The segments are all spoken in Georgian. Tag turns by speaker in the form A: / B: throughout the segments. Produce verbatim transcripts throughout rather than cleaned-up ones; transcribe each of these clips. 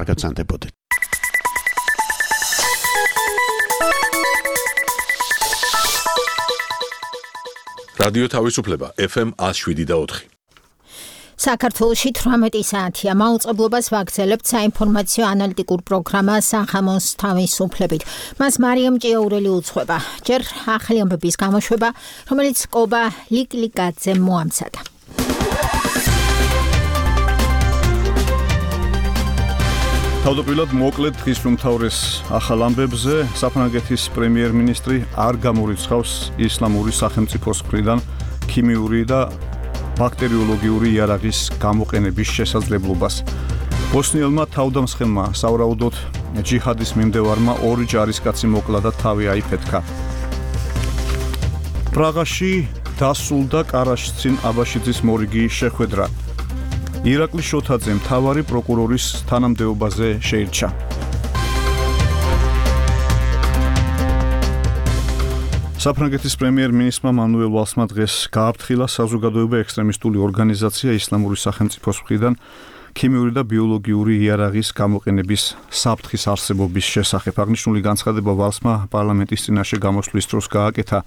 A: გაგაცანდებოდეთ.
B: რადიო თავისუფლება ეფ ემ one oh seven point four.
C: საქართველოში თვრამეტი საათია. მაუწყებლობას ვაგრძელებთ საინფორმაციო ანალიტიკურ პროგრამა სახამოს თავისუფლებით. მას მარიამ ჭიაურელი უძღვება. ჯერ ახალი ამბების გამოშვება, რომელიც კობა ლიკლიკაძემ მოამზადა.
D: თავდაპირველად მოკლედ დღის უმთავრეს ახალ ამბებზე საფრანგეთის პრემიერ-მინისტრი არ გამორიცხავს ისლამური სახელმწიფოს მხრიდან ქიმიური და ბაქტერიოლოგიური იარაღის გამოყენების შესაძლებლობას. ბოსნიელმა თავდამსხმელმა სავარაუდოდ ჯიჰადის მიმდევარმა ორი ჯარისკაცი მოკლა და თავი აიფეთქა. პრაღაში დასულდა კარაშცინ აბაშიძის მორიგი შეხვედრა. ირაკლი შოთაძე მთავარი პროკურორის თანამდებობაზე შეირჩა. საფრანგეთის პრემიერ-მინისტრმა მანუელ ვალსმა დღეს გააფრთხილა საზოგადოება ექსტრემისტული ორგანიზაცია ისლამური სახელმწიფოს მხრიდან ქიმიური და ბიოლოგიური იარაღის გამოყენების საფრთხის არსებობის შესახებ. აღნიშნული განცხადება ვალსმა პარლამენტის წინაშე გამოსვლის დროს გააკეთა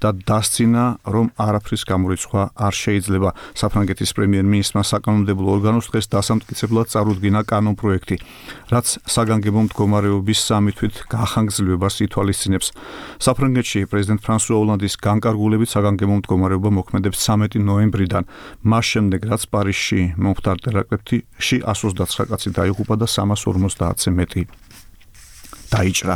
D: და დასცინა, რომ არაფრის გამორიცხვა არ შეიძლება. საფრანგეთის პრემიერ-მინისტრმა საკანონმდებლო ორგანოს დღეს დასამტკიცებლად წარუდგინა კანონპროექტი, რაც საგანგებო მდგომარეობის სამი თვით გახანგრძლივებას ითვალისწინებს. საფრანგეთში პრეზიდენტ ფრანსუა ოლანდის განკარგულებით საგანგებო მდგომარეობა მოქმედებს ცამეტი ნოემბრიდან, მას შემდეგ რაც პარიზში მომხდარ ტერაქტებში ში one hundred twenty-nine კაცი დაიღუპა და სამას ორმოცდაათზე მეტი დაიჭრა.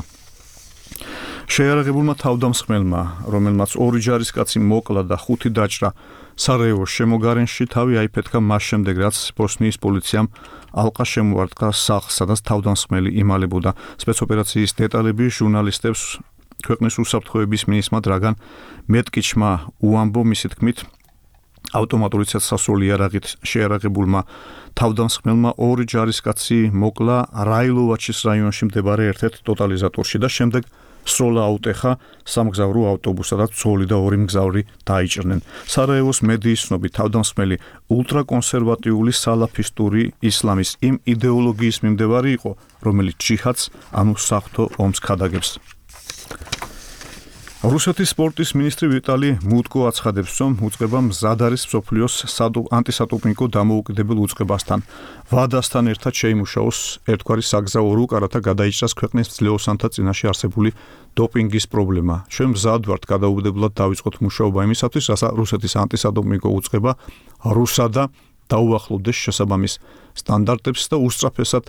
D: შეიარაღებულმა თავდამსხმელმა, რომელმაც ორი ჯარისკაცი მოკლა და ხუთი დაჭრა, სარაევოს შემოგარენში თავი აიფეთქა მას შემდეგ, რაც ბოსნიის პოლიციამ ალყა შემოარტყა სახლს, სადაც თავდამსხმელი იმალებოდა. სპეცოპერაციის დეტალები ჟურნალისტებს ქვეყნის უსაფრთხოების მინისტრმა დრაგან მეტკიჩმა უამბო, მისი თქმით, ავტომატური ცეცხლსასროლი იარაღით შეიარაღებულმა თავდამსხმელმა ორი ჯარისკაცი მოკლა რაილოვაჩის რაიონში მდებარე ერთ-ერთ ტოტალიზატორში და შემდეგ სროლა აუტეხა სამგზავრო ავტობუსსა და ცოლი და ორი მგზავრი დაიჭრნენ. სარაევოს მედიის ცნობით თავდამსხმელი ულტრაკონსერვატიული სალაფისტური ისლამის იმ იდეოლოგიის მიმდევარი იყო, რომელიც ჯიჰადს, ანუ საღვთო ომს ქადაგებს. რუსეთის სპორტის მინისტრი ვიტალი მუტკო აცხადებს, რომ უწყება მზად არის მსოფლიოს ანტისატოფნიკო დამოუკიდებელ უწყებასთან. ვადასთან ერთად შეიმუშაოს ერთგვარი საგზაო რუკა, რათა გადაიჭრას ქვეყნის ძლეოსანთა წინაშე არსებული დოპინგის პრობლემა. ჩვენ მზად ვართ გადაუგებლად დავიწყოთ მუშაობა იმისათვის, რათა რუსეთის ანტისატოფნიკო უწყება რუსადა დაუახლოვდეს შესაბამის სტანდარტებს და უსწრაფესად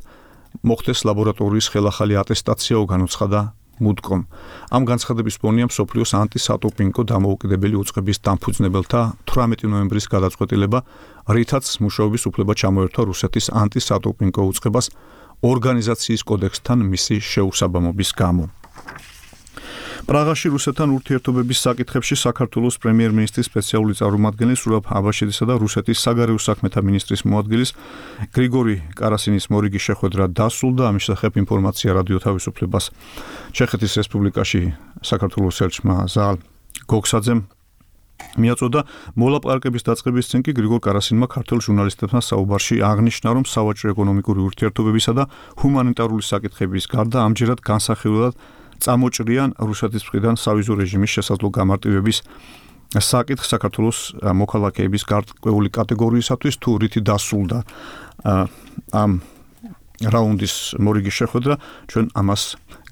D: მოხდეს ლაბორატორიის ხელახალი ატესტაციაო, განუცხადა მუტკომ. ამ განცხადების ფონია მსოფლიოს ანტისატოფნიკო დამოუკიდებელი უწყების დამფუძნებელთა თვრამეტი ნოემბრის გადაწყვეტილება, რითაც მუშაობის უფლება ჩამოერთვა რუსეთის ანტისატოფნიკო უწყებას ორგანიზაციის კოდექსთან მისი შეუსაბამობის გამო. პრაღაში რუსეთთან ურთიერთობების საკითხებში საქართველოს პრემიერ-მინისტრის სპეციალური წარმომადგენელი სურაბ აბაშიძისა და რუსეთის საგარეო საქმეთა მინისტრის მოადგილის გრიგორი კარასინის მორიგი შეხვედრა დასრულდა. ამის შესახებ ინფორმაცია რადიო თავისუფლებას ჩეხეთის რესპუბლიკაში საქართველოს ელჩმა ზალ გოგსაძემ მიაწოდა. მოლაპარაკების დაწყების წინ კი გრიგორ კარასინმა ქართველ ჟურნალისტებთან საუბარში აღნიშნა, რომ სავაჭრო ეკონომიკური ურთიერთობებისა და ჰუმანიტარული საკითხების გარდა ამჯერად განსახილველად წამოჭრიან რუსეთის მხრიდან სავიზო რეჟიმის შესაძლო გამარტივების საკითხ საქართველოს მოქალაქეების გარკვეული კატეგორიისათვის, თუ რითი დასრულდა ამ რაუნდის მორიგი შეხვედრა, ჩვენ ამას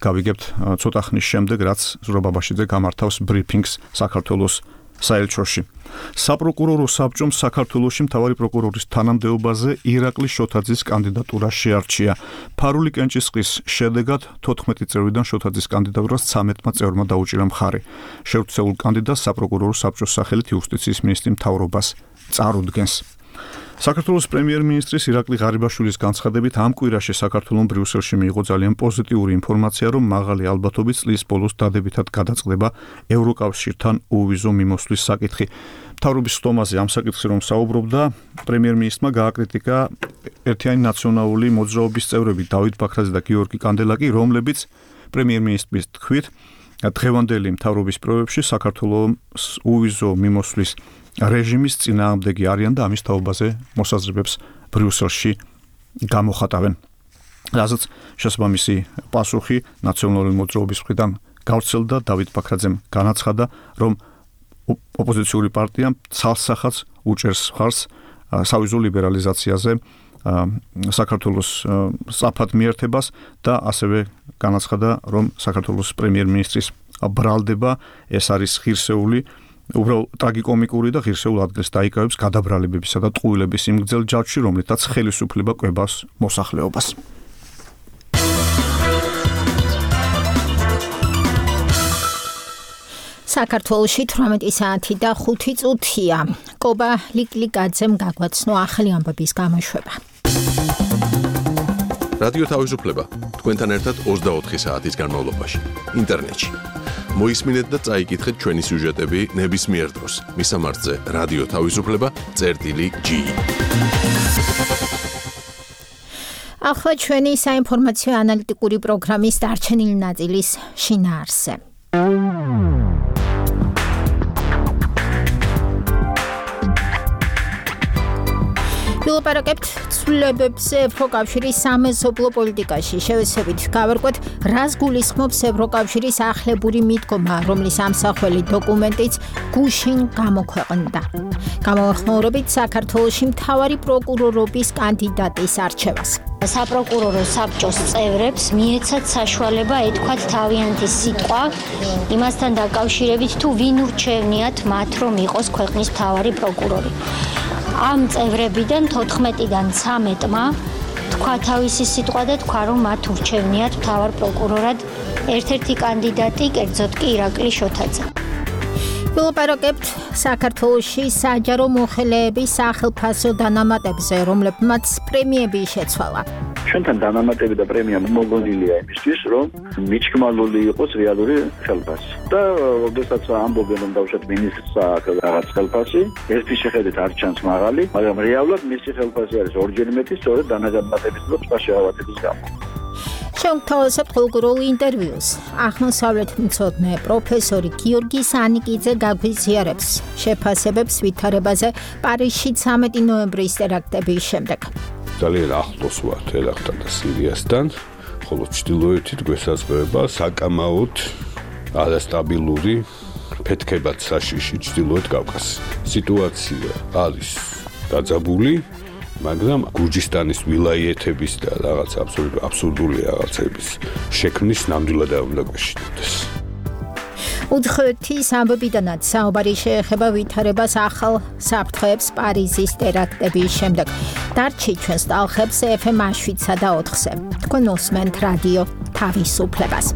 D: გავიგებთ ცოტა ხნის შემდეგ, რაც ზურაბ აბაშიძე გამართავს ბრიფინგს საქართველოს საელჩოში. საპროკურორო საბჭომ საქართველოში მთავარი პროკურორის თანამდებობაზე ირაკლი შოთაძის კანდიდატურა შეარჩია. ფარული კენჭისყრის შედეგად თოთხმეტი წევრიდან შოთაძის კანდიდატურას ცამეტმა წევრმა დაუჭირა მხარი. შევრცელულ კანდიდატს საპროკურორო საბჭოს სახელით იუსტიციის მინისტრი მთავრობას წარუდგენს. საქართველოს პრემიერ-მინისტრის ირაკლი ღარიბაშვილის განცხადებით ამ კვირაში საქართველოს ბრიუსელში მიიღო ძალიან პოზიტიური ინფორმაცია, რომ მაღალი ალბათობით წლის ბოლოს დადებითად გადაწყდება ევროკავშირთან უვიზო მიმოსვლის საკითხი. მთავრობის სტომაზე ამ საკითხზე რომ საუბრობდა, პრემიერ-მინისტრმა გააკრიტიკა ერთიანი ნაციონალური მოძრაობის წევრები დავით ბაქრაძე და გიორგი კანდელაკი, რომლებიც პრემიერ-მინისტრის თქმით დღევანდელი მთავრობის პროექტში საქართველოს უვიზო მიმოსვლის რეჟიმის წინააღმდეგი არიან და ამის თაობაზე მოსაზრებებს ბრიუსელში გამოხატავენ. რაზეც შესაბამისი პასუხი ნაციონალური მოძრაობის მხრიდან გავრცელდა. დავით ბაქრაძემ განაცხადა, რომ ოპოზიციური პარტია ცალსახაც უჭერს მხარს სავიზო ლიბერალიზაციაზე საქართველოს სწრაფად მიერთებას და ასევე განაცხადა, რომ საქართველოს პრემიერ-მინისტრის ბრალდება ეს არის ღირსეული, უბრალოდ ტრაგიკომიკური და ღირსეულ ადგილს დაიკავებს გადაბრალებებისა და ტყუილების იმ გრძელ ჯაჭვში, რომლითაც ხელისუფლება კვებას მოსახლეობას.
C: საქართველოში თვრამეტი საათი და ხუთი წუთია. კობა ლიკლიკაძემ გაგვაცნო ახალი ამბების გამოშვება.
B: რადიო თავისუფლება თქვენთან ერთად ოცდაოთხი საათის განმავლობაში ინტერნეტში. მოისმინეთ და წაიკითხეთ ჩვენი სიუჟეტები ნებისმიერ დროს. მისამართზე რადიო თავისუფლება წერტილი ჯი.
C: ახლა ჩვენი საინფორმაციო ანალიტიკური პროგრამის დარჩენილი ნაწილის შინაარსზე. ვილაპარაკებთ ცვლილებებზე ევროკავშირის სამეზობლო პოლიტიკაში. შევეცდებით გავარკვეთ, რას გულისხმობს ევროკავშირის ახლებური მიდგომა, რომლის ამსახველი დოკუმენტიც გუშინ გამოქვეყნდა. გამოხმაურებით საქართველოში მთავარი პროკურორობის კანდიდატის არჩევას.
A: საპროკურორო საბჭოს წევრებს მიეცათ საშუალება ეთქვათ თავიანთი სიტყვა იმასთან დაკავშირებით, თუ ვინ ურჩევნიათ მათ, რომ იყოს ქვეყნის მთავარი პროკურორი. ამ წევრებიდან თოთხმეტიდან ცამეტმა თქვა თავისი სიტყვა და თქვა, რომ მათ ურჩევნიათ მთავარ პროკურორად ერთ-ერთი კანდიდატი, კერძოდ კი ირაკლი შოთაძე.
C: ვილაპარაკებთ საქართველოში საჯარო მოხელეების სახელფასო დანამატებზე, რომლებმაც პრემიები შეცვალა.
E: ჩვენთან დანამატები და პრემია მოგონილია იმისთვის, რომ მიჩქმალული იყოს რეალური ხელფასი. და როდესაც ამბობენ, რომ დავუშვათ მინისტრს რაღაც ხელფასი, ერთი შეხედვით არ ჩანს მაღალი, მაგრამ რეალურად მისი ხელფასი არის ორჯერ მეტი, სწორედ დანამატების და სხვა შეავადების გამო.
C: შევთავაზებთ ხოლმე ინტერვიუს. აღმოსავლეთ მცოდნე პროფესორი გიორგი სანიკიძე გაგვიზიარებს შეფასებებს ვითარებაზე პარიზში ცამეტი ნოემბრის ტერაქტების შემდეგ.
F: ძალიან ახლოს ვარ ტერაქტთან და სირიასთან, ხოლო ჩრდილოეთით გვესაზღვრება საკამაოდ არასტაბილური ფეთქებად საშიში ჩრდილოეთ კავკასი. სიტუაცია არის დაძაბული, მაგრამ გურჯისტანის ვილაიეთების და რაღაც აბსურდული რაღაცების შექმნის ნამდვილად არ უნდა გვეშინოდეს.
C: უცხოეთის ამბებიდანაც საუბარი შეეხება ვითარებას ახალ საფრთხეებს პარიზის ტერაქტების შემდეგ. დარჩი ჩვენს ტალხებს ეფ ემ შვიდსა და ოთხზე. თქვენ უსმენთ რადიო თავისუფლებას.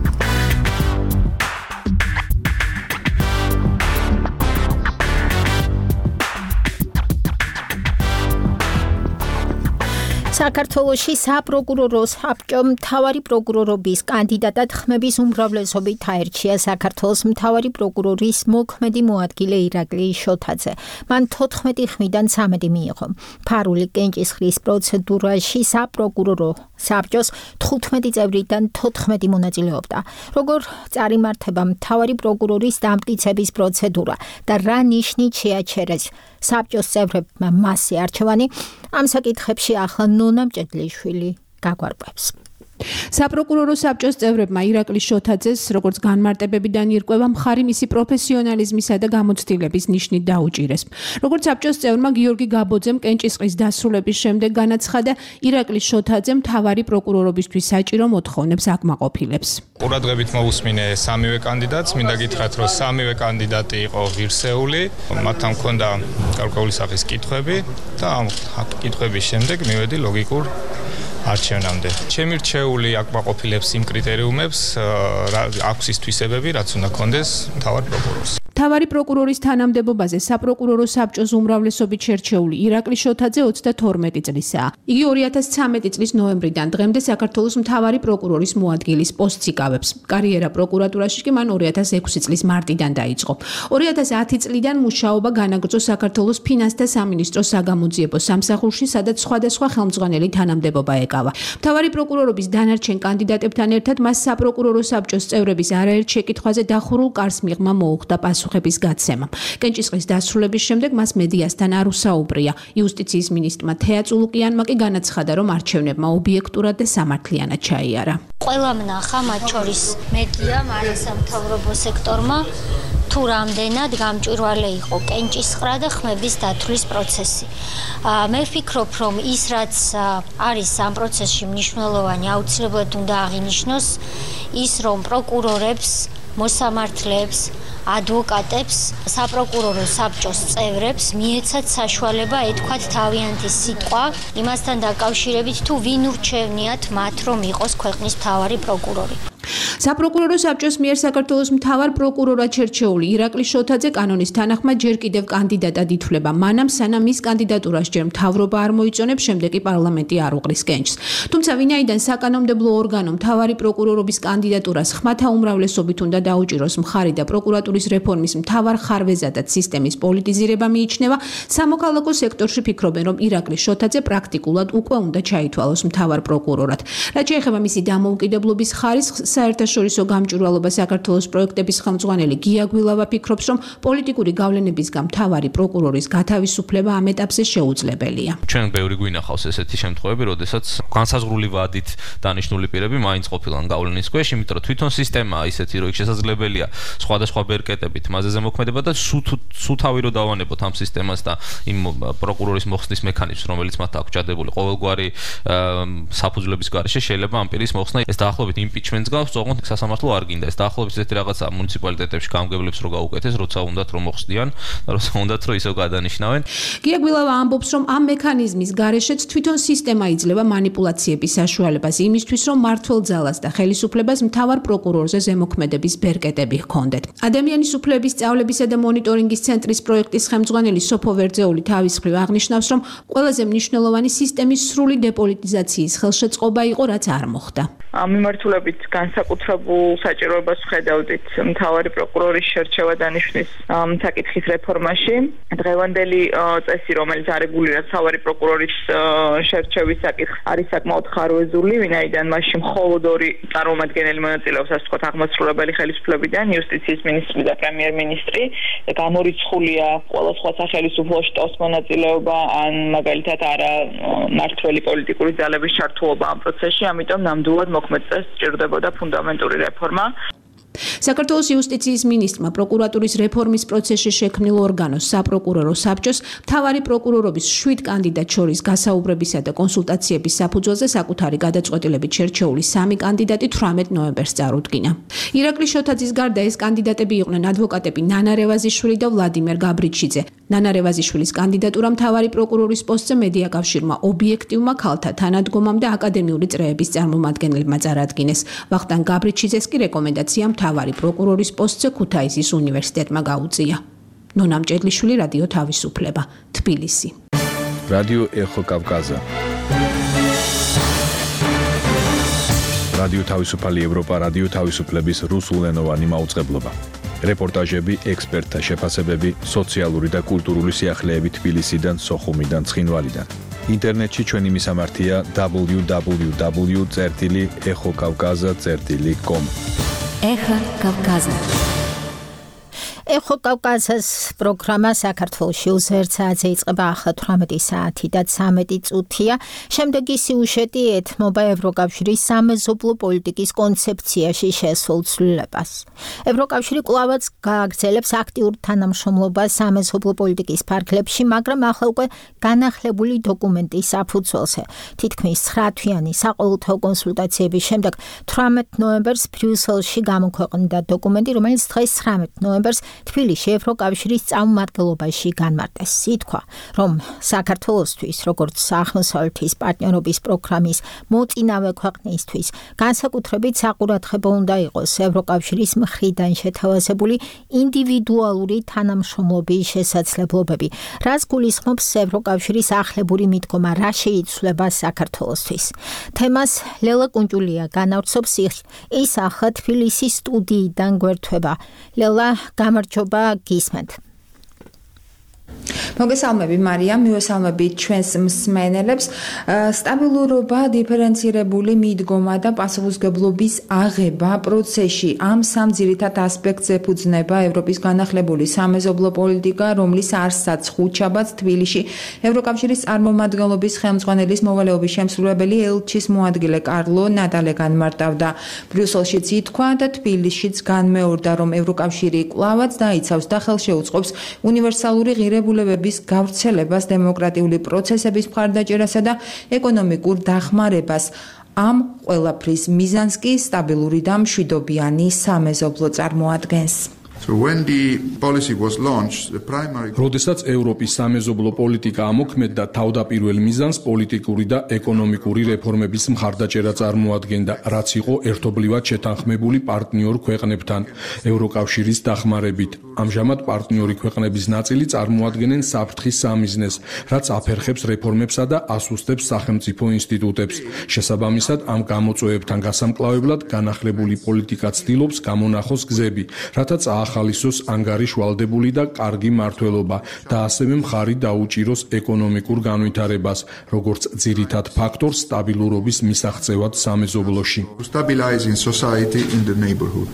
C: საქართველოში საპროკურორო საბჭომ მთავარი პროკურორობის კანდიდატად ხმების უმრავლესობით აერჩია საქართველოს მთავარი პროკურორის მოქმედი მოადგილე ირაკლი შოთაძე. მან თოთხმეტი ხმიდან ცამეტი მიიღო. ფარული კენჭისყრის პროცედურაში საპროკურორო საბჭოს თხუთმეტი წევრიდან თოთხმეტი მონაწილეობდა. როგორ წარიმართება მთავარი პროკურორის დამტკიცების პროცედურა და რა ნიშნით შეაჩერეს საბჭოს წევრებმა მასზე არჩევანი, ამ საკითხებში ახლა ნონა მჭედლიშვილი გაგვარკვევს.
G: საპროკურორო საბჭოს წევრებმა ირაკლი შოთაძეს, როგორც განმარტებებიდან ირკვევა, მხარი მისი პროფესიონალიზმისა და გამოცდილების ნიშნით დაუჭირეს. როგორც საბჭოს წევრმა გიორგი გაბოძემ კენჭისყრის დასრულების შემდეგ განაცხადა, ირაკლი შოთაძე მთავარი პროკურორობისთვის საჭირო მოთხოვნებს აკმაყოფილებს.
H: ყურადღებით მოусმინე სამივე კანდიდატს, მინდა გითხრათ, რომ სამივე კანდიდატი იყო ღირსეული, მათთან ჰქონდა გარკვეული სახის კითხვები და ამ კითხვების შემდეგ მივედი ლოგიკურ არჩევნამდე. ჩემი რჩეული აკმაყოფილებს იმ კრიტერიუმებს, აქვს ის თვისებები, რაც უნდა ჰქონდეს მთავარ პროკურორს.
G: მთავარი პროკურორის თანამდებობაზე საპროკურორო საბჭოს უმრავლესობით შერჩეული ირაკლი შოთაძე ოცდათორმეტი წლისაა. იგი ორი ათას ცამეტი წლის ნოემბრიდან დღემდე საქართველოს მთავარი პროკურორის მოადგილის პოსტს იკავებს. კარიერა პროკურატურაში კი მან ორი ათას ექვსი წლის მარტიდან დაიწყო. ორი ათას ათი წლიდან მუშაობა განაგრძო საქართველოს ფინანსთა სამინისტროს საგამოძიებო სამსახურში, სადაც სხვადასხვა ხელმძღვანელი თანამდებობა ეკავა. მთავარი პროკურორობის დანარჩენ კანდიდატებთან ერთად მას საპროკურორო საბჭოს წევრების არაერთ შეკითხვაზე დახურულ კარს მიღმა მოუხდა პასუხი. პასუხების გაცემა. კენჭისყრის დასრულების შემდეგ მას მედიასთან არ უსაუბრია. იუსტიციის მინისტრმა თეა წულუკიანმა კი განაცხადა, რომ არჩევნებმა ობიექტურად და სამართლიანად ჩაიარა.
A: ყველა მნახა, მათ შორის მედიამ, არასამთავრობო სექტორმა, თუ რამდენად გამჭვირვალე იყო კენჭისყრა და ხმების დათვლის პროცესი. მე ვფიქრობ, რომ ის რაც არის ამ პროცესში მნიშვნელოვანი, აუცილებლად უნდა აღინიშნოს ის, რომ პროკურორებს, მოსამართლეებს, ადვოკატებს, საპროკურორო საბჭოს წევრებს მიეცათ საშუალება ეთქვათ თავიანთი სიტყვა იმასთან დაკავშირებით, თუ ვინ ურჩევნიათ მათ, რომ იყოს ქვეყნის მთავარი პროკურორი.
G: საპროკურორო საბჭოს მიერ საქართველოს მთავარ პროკურორად შერჩეული ირაკლი შოთაძე კანონის თანახმად ჯერ კიდევ კანდიდატად ითვლება, მანამ სანამ მის კანდიდატურას ჯერ მთავრობა არ მოიწონებს, შემდეგ კი პარლამენტი არ უყრის კენჭს. თუმცა ვინაიდან საკანონმდებლო ორგანო მთავარი პროკურორობის კანდიდატურას ხმათა უმრავლესობით უნდა დაუჭიროს მხარი და პროკურატურის რეფორმის მთავარ ხარვეზადაც სისტემის პოლიტიზირება მიიჩნევა, სამოქალაქო სექტორში ფიქრობენ, რომ ირაკლი შოთაძე პრაქტიკულად უკვე უნდა ჩაითვალოს მთავარ პროკურორად. რაც შეეხება მისი დამოუკიდებლობის ხარისხს, საერთაშორისო გამჭვირვალობა საქართველოს პროექტების ხელმძღვანელი გია გვილავა ფიქრობს, რომ პოლიტიკური გავლენებისგან მთავარი პროკურორის გათავისუფლება ამ ეტაპზე შეუძლებელია.
I: ჩვენ ბევრი გვინახავს ესეთი შემთხვევები, როდესაც განსაზღვრული ვადით დანიშნული პირები მაინც ყოფილან გავლენის ქვეშ, იმიტომ რომ თვითონ სისტემაა ისეთი, რომ შესაძლებელია სხვადასხვა ბერკეტებით მასზე ზემოქმედება და სუთავი რო დავანებოთ ამ სისტემას და იმ პროკურორის მოხსნის მექანიზმს, რომელიც მათ აქვს ჩადებული ყოველგვარი საფუძვლების გარეშე, შეიძლება ამ პირის მოხსნა ეს დაახლოებით იმპიჩმენტს გავს, ოღონდ სასამართლო არ გინდა. ეს დაახლოებით ესეთი რაღაცა მუნიციპალიტეტებში გამგებლებს რო გაუკეთეს, როცა უნდათ რომ მოხსნიან, როცა უნდათ რომ ისო გადანიშნავენ.
G: გია გვილავა ამბობს, რომ ამ მექანიზმის გარეშეც თვითონ სისტემა იძლევა манипуляციების საშუალებას იმისთვის, რომ მმართველ ძალას და ხელისუფლებას მთავარ პროკურორზე ზემოქმედების ბერკეტები ჰქონდეთ. ადამიანის უფლებების სწავლებისა და მონიტორინგის ცენტრის პროექტის ხელმძღვანელი სოფო ვერძეული თავის მხრივ აღნიშნავს, რომ ყველაზე მნიშვნელოვანი სისტემის სრული დეპოლიტიზაციის ხელშეწყობა იყო, რაც არ მოხდა.
J: მიმართულებით განსაკუთრებულ საჭიროებას ვხედავდით მთავარი პროკურორის შერჩევა დანიშვნის საკითხის რეფორმაში. დღევანდელი წესი, რომელიც არეგულირებს მთავარი პროკურორის შერჩევის საკითხს, არის საკმაოდ ხარვეზული, ვინაიდან მასში მხოლოდ ორი წარმომადგენელი მონაწილეობს, ასე ვთქვათ, აღმასრულებელი ხელისუფლებიდან, იუსტიციის მინისტრი და პრემიერ-მინისტრი. გამორიცხულია ყველა სხვა სახელმწიფო შტოს მონაწილეობა, ან მაგალითად არა მმართველი პოლიტიკური ძალების ჩართულობა ამ პროცესში, ამიტომ ნამდვილად მოქმედწეს სჭირდებოდა ფუნდამენტური რეფორმა.
G: საქართველოს იუსტიციის მინისტრმა პროკურატურის რეფორმის პროცესში შექმნილ ორგანოს საპროკურორო საბჭოს მთავარი პროკურორობის შვიდ კანდიდატ შორის გასაუბრებისა და კონსულტაციების საფუძველზე საკუთარი გადაწყვეტილებით შერჩეული სამი კანდიდატი თვრამეტ ნოემბერს წარუდგინა. ირაკლი შოთაძის გარდა ეს კანდიდატები იყვნენ ადვოკატები ნანა რევაზიშვილი და ვლადიმერ გაბრიჩიძე. ნანა რევაზიშვილის კანდიდატურა მთავარი პროკურორის პოსტზე მედია კავშირმა ობიექტივმა ქალთა თანადგომამ და აკადემიური წრეების წარმომადგენლებმა წარადგინეს. ვახტანგ გაბრიჩიძეს კი რეკომენდაცია მთავარი პროკურორის პოსტზე ქუთაისის უნივერსიტეტმა გაუწია. ნონა მჭედლიშვილი, რადიო თავისუფლება, თბილისი.
K: რადიო ეხო კავკაზა. რადიო თავისუფალი ევროპა, რადიო თავისუფლების რუსულენოვანი მაუწყებლობა. რეპორტაჟები, ექსპერტთა შეფასებები, სოციალური და კულტურული სიახლეები თბილისიდან, სოხუმიდან, ცხინვალიდან. ინტერნეტში ჩვენი მისამართია დაბლიუ დაბლიუ დაბლიუ წერტილი ეხო კავკაზა წერტილი კომ.
C: ეხო კავკაზა. ეხო კავკაზას პროგრამა საქართველოში უზერცაძე იწყება ახლა თვრამეტი საათი და ცამეტი წუთია. შემდეგი სიუჟეტი ეთმობა ევროკავშირის სამეზობლო პოლიტიკის კონცეფციაში შესულ ცვლილებას. ევროკავშირი კვლავაც გააგრძელებს აქტიურ თანამშრომლობას სამეზობლო პოლიტიკის ფარგლებში, მაგრამ ახლა უკვე განახლებული დოკუმენტის საფუძველზე. თითქმის ცხრათვიანი საყოველთაო კონსულტაციების შემდეგ თვრამეტ ნოემბერს ბრიუსელში გამოქვეყნდა დოკუმენტი, რომელიც დღეს ცხრამეტ ნოემბერს თბილისში ევროკავშირის წარმომადგენლობაში განმარტეს. ითქვა, რომ საქართველოსთვის, როგორც აღმოსავლეთის პარტნიორობის პროგრამის მოწინავე ქვეყნისთვის, განსაკუთრებით საყურადღებო უნდა იყოს ევროკავშირის მხრიდან შეთავაზებული ინდივიდუალური თანამშრომლობის შესაძლებლობები, რაც გულისხმობს ევროკავშირის ახლებური მიდგომა, რა შეიცვლება საქართველოსთვის. თემას ლელა კუნჯულია განავრცობს, ის ახლა თბილისის სტუდიიდან გვერდება. ლელა, გამარჯობა, გისმენთ.
L: მოგესალმები მარია, მივესალმებით ჩვენს მსმენელებს. სტაბილურობა, დიფერენცირებული მიდგომა და პასუხისმგებლობის აღება პროცესში ამ სამ ძირითად ასპექტს ეფუძნება ევროპის განახლებული სამეზობლო პოლიტიკა, რომლის არსად ხუთშაბათს თბილისში ევროკავშირის წარმომადგენლობის ხელმძღვანელის მოვალეობის შემსრულებელი ელჩის მოადგილე კარლო ნატალე განმარტავდა. ბრიუსელშიც ითქვა და თბილისშიც განმეორდა, რომ ევროკავშირი კვლავაც დაიცავს და ხელშეუწყობს უნივერსალური ღირებულებების გავრცელებას, დემოკრატიული პროცესების მხარდაჭერასა და ეკონომიკურ დახმარებას. ამ ყველაფრის მიზანს კი სტაბილური და მშვიდობიანი სამეზობლო წარმოადგენს.
M: So when the policy was launched, the primary
N: როდესაც ევროპის სამეზობლო პოლიტიკა ამოქმედდა, თავდაპირველ მიზანს პოლიტიკური და ეკონომიკური რეფორმების მხარდაჭერა წარმოადგენდა, რაც იყო ერთობლივად შეთანხმებული პარტნიორ ქვეყნებთან ევროკავშირის დახმარებით. ამჟამად პარტნიორი ქვეყნების ნაწილი წარმოადგენენ საფრთხის სამიზნეს, რაც აფერხებს რეფორმებსა და ასუსტებს სახელმწიფო ინსტიტუტებს. შესაბამისად, ამ გამოწვევებთან გასამკლავებლად განახლებული პოლიტიკა ცდილობს გამონახოს გზები, რათა ახალისოს ანგარიშვალდებული და კარგი მართლობა და ასევე მხარი დაუჭიროს ეკონომიკურ განვითარებას, როგორც ძირითად ფაქტორს სტაბილურობის მისაღწევად სამეზობლოში.
M: Stabilizing society in the neighborhood.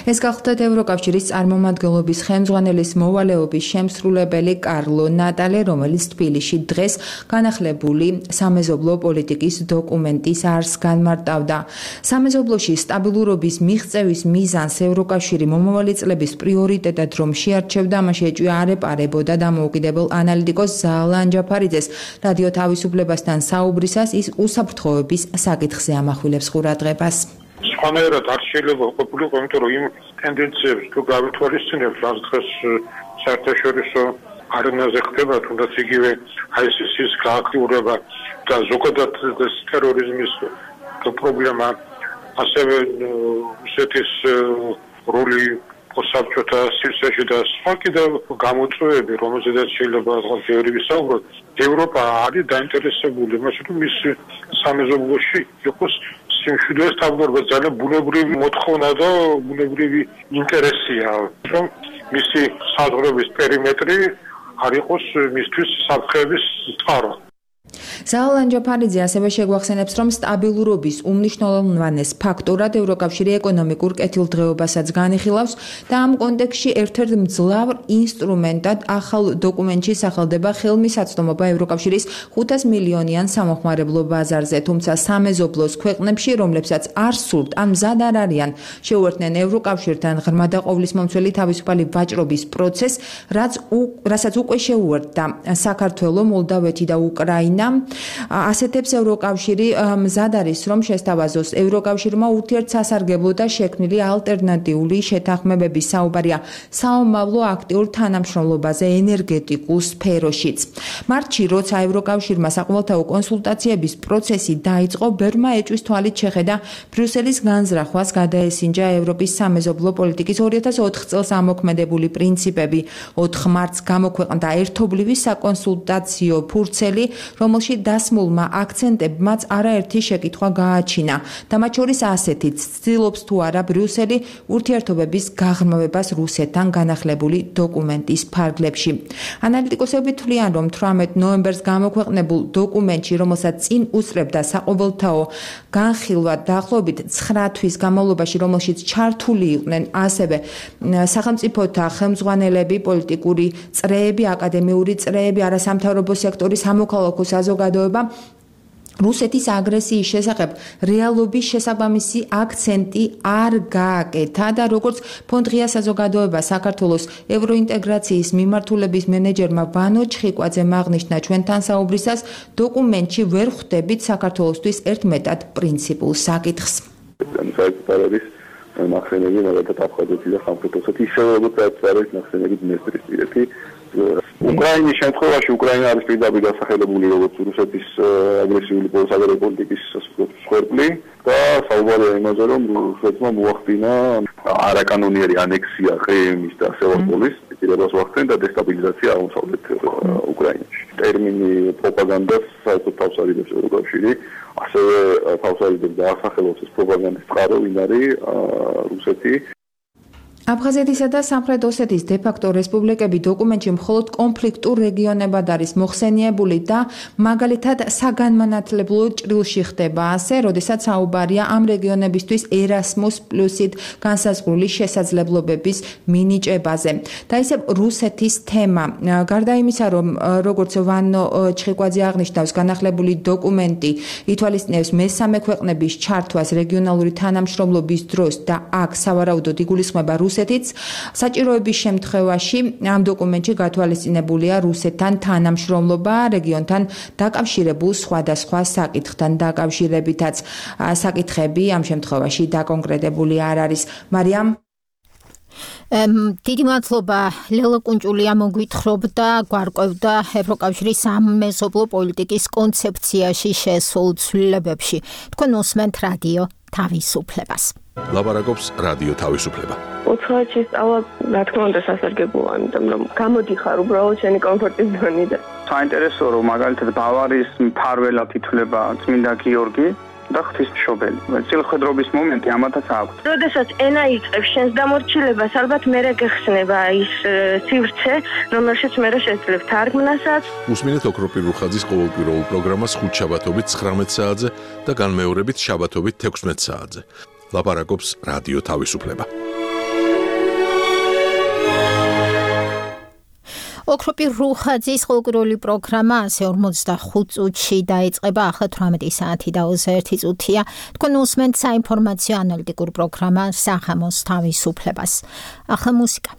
L: ეს გახლდათ ევროკავშირის წარმომადგენლობის ხელმძღვანელის მოვალეობის შემსრულებელი კარლო ნატალე, რომელიც თბილისში დღეს განახლებული სამეზობლო პოლიტიკის დოკუმენტის არსს განმარტავდა. სამეზობლოში სტაბილურობის მიღწევის მიზანს ევროკავშირი მომავალი წლების პრიორიტეტად რომ შეარჩევდა, ამაში ეჭვია არ ეპარებოდა დამოუკიდებელ ანალიტიკოს ზალან ჯაფარიძეს. რადიო თავისუფლებასთან საუბრისას ის უსაფრთხოების საკითხზე ამახვილებს ყურადღებას.
O: სხვანაირად არ შეიძლება ყოფილიყო, იმიტომ რომ იმ ტენდენციებს თუ გავითვალისწინებთ, რაც დღეს საერთაშორისო არენაზე ხდება, თუნდაც იგივე აი ეს ის გააქტიურება და ზოგადად ეს ტერორიზმის პრობლემა, ასევე რუსეთის როლი საბჭოთა სივრცეში და სხვა კიდევ გამოწვევები, რომელზედაც შეიძლება ბევრი ვისაუბროთ. ევროპა არის დაინტერესებული იმაში, რომ ის სამეზობლოში იყოს სიმშვიდე სტაბილურობა, ძალიან ბუნებრივი მოთხოვნა და ბუნებრივი ინტერესია, რომ მისი საზღვრების პერიმეტრი არ იყოს მისთვის საფრთხეების წყარო.
L: ზალან ჯაფარიძე ასევე შეგვახსენებს, რომ სტაბილურობის უმნიშვნელოვანეს ფაქტორად ევროკავშირი ეკონომიკურ კეთილდღეობასაც განიხილავს და ამ კონტექსტში ერთ-ერთ მძლავრ ინსტრუმენტად ახალ დოკუმენტში სახელდება ხელმისაწვდომობა ევროკავშირის ხუთას მილიონიან სამოხმარებლო ბაზარზე, თუმცა სამეზობლოს ქვეყნებში, რომლებსაც არ სურთ ან მზად არ არიან შეუერთდნენ ევროკავშირთან ღრმა და ყოვლისმომცველი თავისუფალი ვაჭრობის პროცესს, რაც რასაც უკვე შეუერთდა საქართველო, მოლდავეთი და უკრაინა. ასეთებს ევროკავშირი მზად არის, რომ შესთავაზოს ევროკავშირმა ურთიერთსასარგებლო და შექმნილი ალტერნატიული შეთანხმებების საუბარია საომავლო აქტიურ თანამშრომლობაზე ენერგეტიკულ სფეროშიც. მარტში, როცა ევროკავშირმა საყოველთაო კონსულტაციების პროცესი დაიწყო, ბერმა ეჭვის თვალით შეხედა ბრიუსელის განზრახვას, გადაესინჯა ევროპის სამეზობლო პოლიტიკის ორი ათას ოთხ წელს ამოქმედებული პრინციპები. ოთხ მარტს გამოქვეყნდა ერთობლივი საკონსულტაციო ფურცელი, რომელში დასმულმა აქცენტებმაც არაერთი შეკითხვა გააჩინა და მათ შორის ასეთიც ცდილობს თუ არა ბრიუსელი ურთიერთობების გაღრმავებას რუსეთთან განახლებული დოკუმენტის ფარგლებში. ანალიტიკოსები თვლიან, რომ თვრამეტ ნოემბერს გამოქვეყნებულ დოკუმენტში, რომელსაც წინ უსწრებდა საყოველთაო განხილვა დაახლოებით ცხრა თვის განმავლობაში, რომელშიც ჩართული იყვნენ ასევე სახელმწიფოთა ხელმძღვანელები, პოლიტიკური წრეები, აკადემიური წრეები, არასამთავრობო სექტორის სამოქალაქო საზოგადოება, რუსეთის აგრესიის შესახებ რეალობის შესაბამისი აქცენტი არ გააკეთა და როგორც ფონდღია საზოგადოება საქართველოს ევროინტეგრაციის მიმართულების მენეჯერმა ვანო ჩხიკვაძემ აღნიშნა ჩვენთან საუბრისას, დოკუმენტში ვერ ხვდებით საქართველოსთვის ერთ მეტად პრინციპულ საკითხს.
E: ნახსენები მაგალითად აფხაზეთი და ხმელთაშუაზღვისპირეთი ისევე როგორც არის ნახსენები დნესტრისპირეთი. უკრაინის შემთხვევაში უკრაინა არის პირდაპირ დასახელებული როგორც რუსეთის აგრესიული საგარეო პოლიტიკის მსხვერპლი და საუბარია იმაზე, რომ რუსეთმა მოახდინა არაკანონიერი ანექსია ყრიმის და სევასტოპოლის პირებას ვახდენ და დესტაბილიზაცია აღმოსავლეთ უკრაინაში. ტერმინი პროპაგანდას საერთოდ თავს არიდებს ევროკავშირი, ასევე თავს არიდებს და ასახელოს ეს პროპაგანდის წყარო, ვინ არის რუსეთი.
L: აფხაზეთისა და სამხრეთ ოსეთის დე-ფაქტო რესპუბლიკები დოკუმენტში მხოლოდ კონფლიქტურ რეგიონებად არის მოხსენიებული და მაგალითად საგანმანათლებლო ჭრილში ხდება ასე, როდესაც საუბარია ამ რეგიონებისთვის ერასმუს პლუსით განსაზღვრული შესაძლებლობების მინიჭებაზე. და ისევ რუსეთის თემა. გარდა იმისა, რომ როგორც ვანო ჩხიკვაძე აღნიშნავს, განახლებული დოკუმენტი ითვალისწინებს მესამე ქვეყნების ჩართვას რეგიონალური თანამშრომლობის დროს და აქ სავარაუდოდ იგულისხმება რუსეთიც, საჭიროების შემთხვევაში ამ დოკუმენტში გათვალისწინებულია რუსეთთან თანამშრომლობა რეგიონთან დაკავშირებულ სხვადასხვა საკითხთან დაკავშირებითაც. საკითხები ამ შემთხვევაში დაკონკრეტებული არ არის. მარიამ
C: დიდი მადლობა ლელა კუნჭულია მოგვითხრობდა გვარკვევდა ევროკავშირის სამეზობლო პოლიტიკის კონცეფციაში შესულ ცვლილებებში. თქვენ უსმენთ რადიო თავისუფლებას.
B: ლაპარაკობს რადიო თავისუფლება.
P: უცხოეთში სწავლა რა თქმა უნდა სასარგებლოა, იმიტომ რომ გამოდიხარ უბრალოდ შენი კომფორტის ზონიდან.
Q: საინტერესოა რომ მაგალითად ბავარიის მფარველად ითვლება წმინდა გიორგი და ღვთისმშობელი. წილხედრობის მომენტი ამათაც აქვს.
P: როდესაც ენა იწყებს შენს დამორჩილებას, ალბათ მერე გეხსნება ის სივრცე, რომელშიც მერე შეძლებ თარგმნასაც.
B: უსმინეთ ოქროპირ რუხაძის ყოველკვირეულ პროგრამას ხუთშაბათობით ცხრამეტ საათზე და განმეორებით შაბათობით თექვსმეტ საათზე. ლაპარაკობს რადიო თავისუფლება.
C: ოქროპირ რუხაძის ყოველკვირეული პროგრამა ასე ორმოცდახუთ წუთში დაიწყება, ახლა თვრამეტი საათი და ოცდაერთი წუთია. თქვენ უსმენთ საინფორმაციო ანალიტიკურ პროგრამა სახამოს თავისუფლებას. ახლა მუსიკა.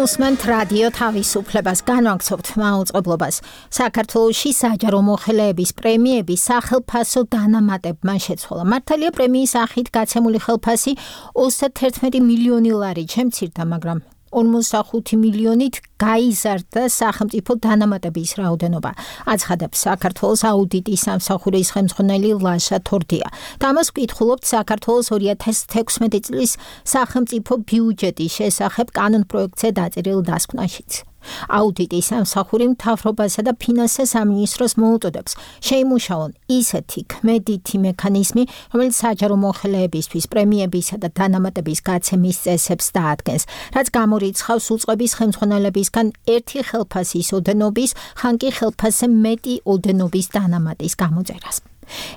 C: უსმენთ რადიო თავისუფლებას, განვაგრძობთ მაუწყებლობას. საქართველოში საჯარო მოხელეების პრემიები სახელფასო დანამატებმა შეცვალა. მართალია პრემიის სახით გაცემული ხელფასი ოცდაერთმეტი მილიონი ლარი შემცირდა, მაგრამ ორმოცდახუთი მილიონით გაიზარდა სახელმწიფო დანამატების რაოდენობა. აცხადებს საქართველოს აუდიტის სამსახურის ხელმძღვანელი ლაშა თორდია. და ამას ვკითხულობთ საქართველოს ორი ათას თექვსმეტი წლის სახელმწიფო ბიუჯეტის შესახებ კანონპროექტზე დაწერილ დასკვნაშიც. აუდიტის სამსახური მთავრობასა და ფინანსთა სამინისტროს მოუწოდებს შეიმუშაონ ისეთი ქმედითი მექანიზმი, რომელიც საჯარო მოხელეებისთვის პრემიებისა და დანამატების გაცემის წესებს დაადგენს, რაც გამორიცხავს უწყების ხელმძღვანელებისგან ერთი ხელფასის ოდენობის, ხან კი ხელფასზე მეტი ოდენობის დანამატის გამოწერას.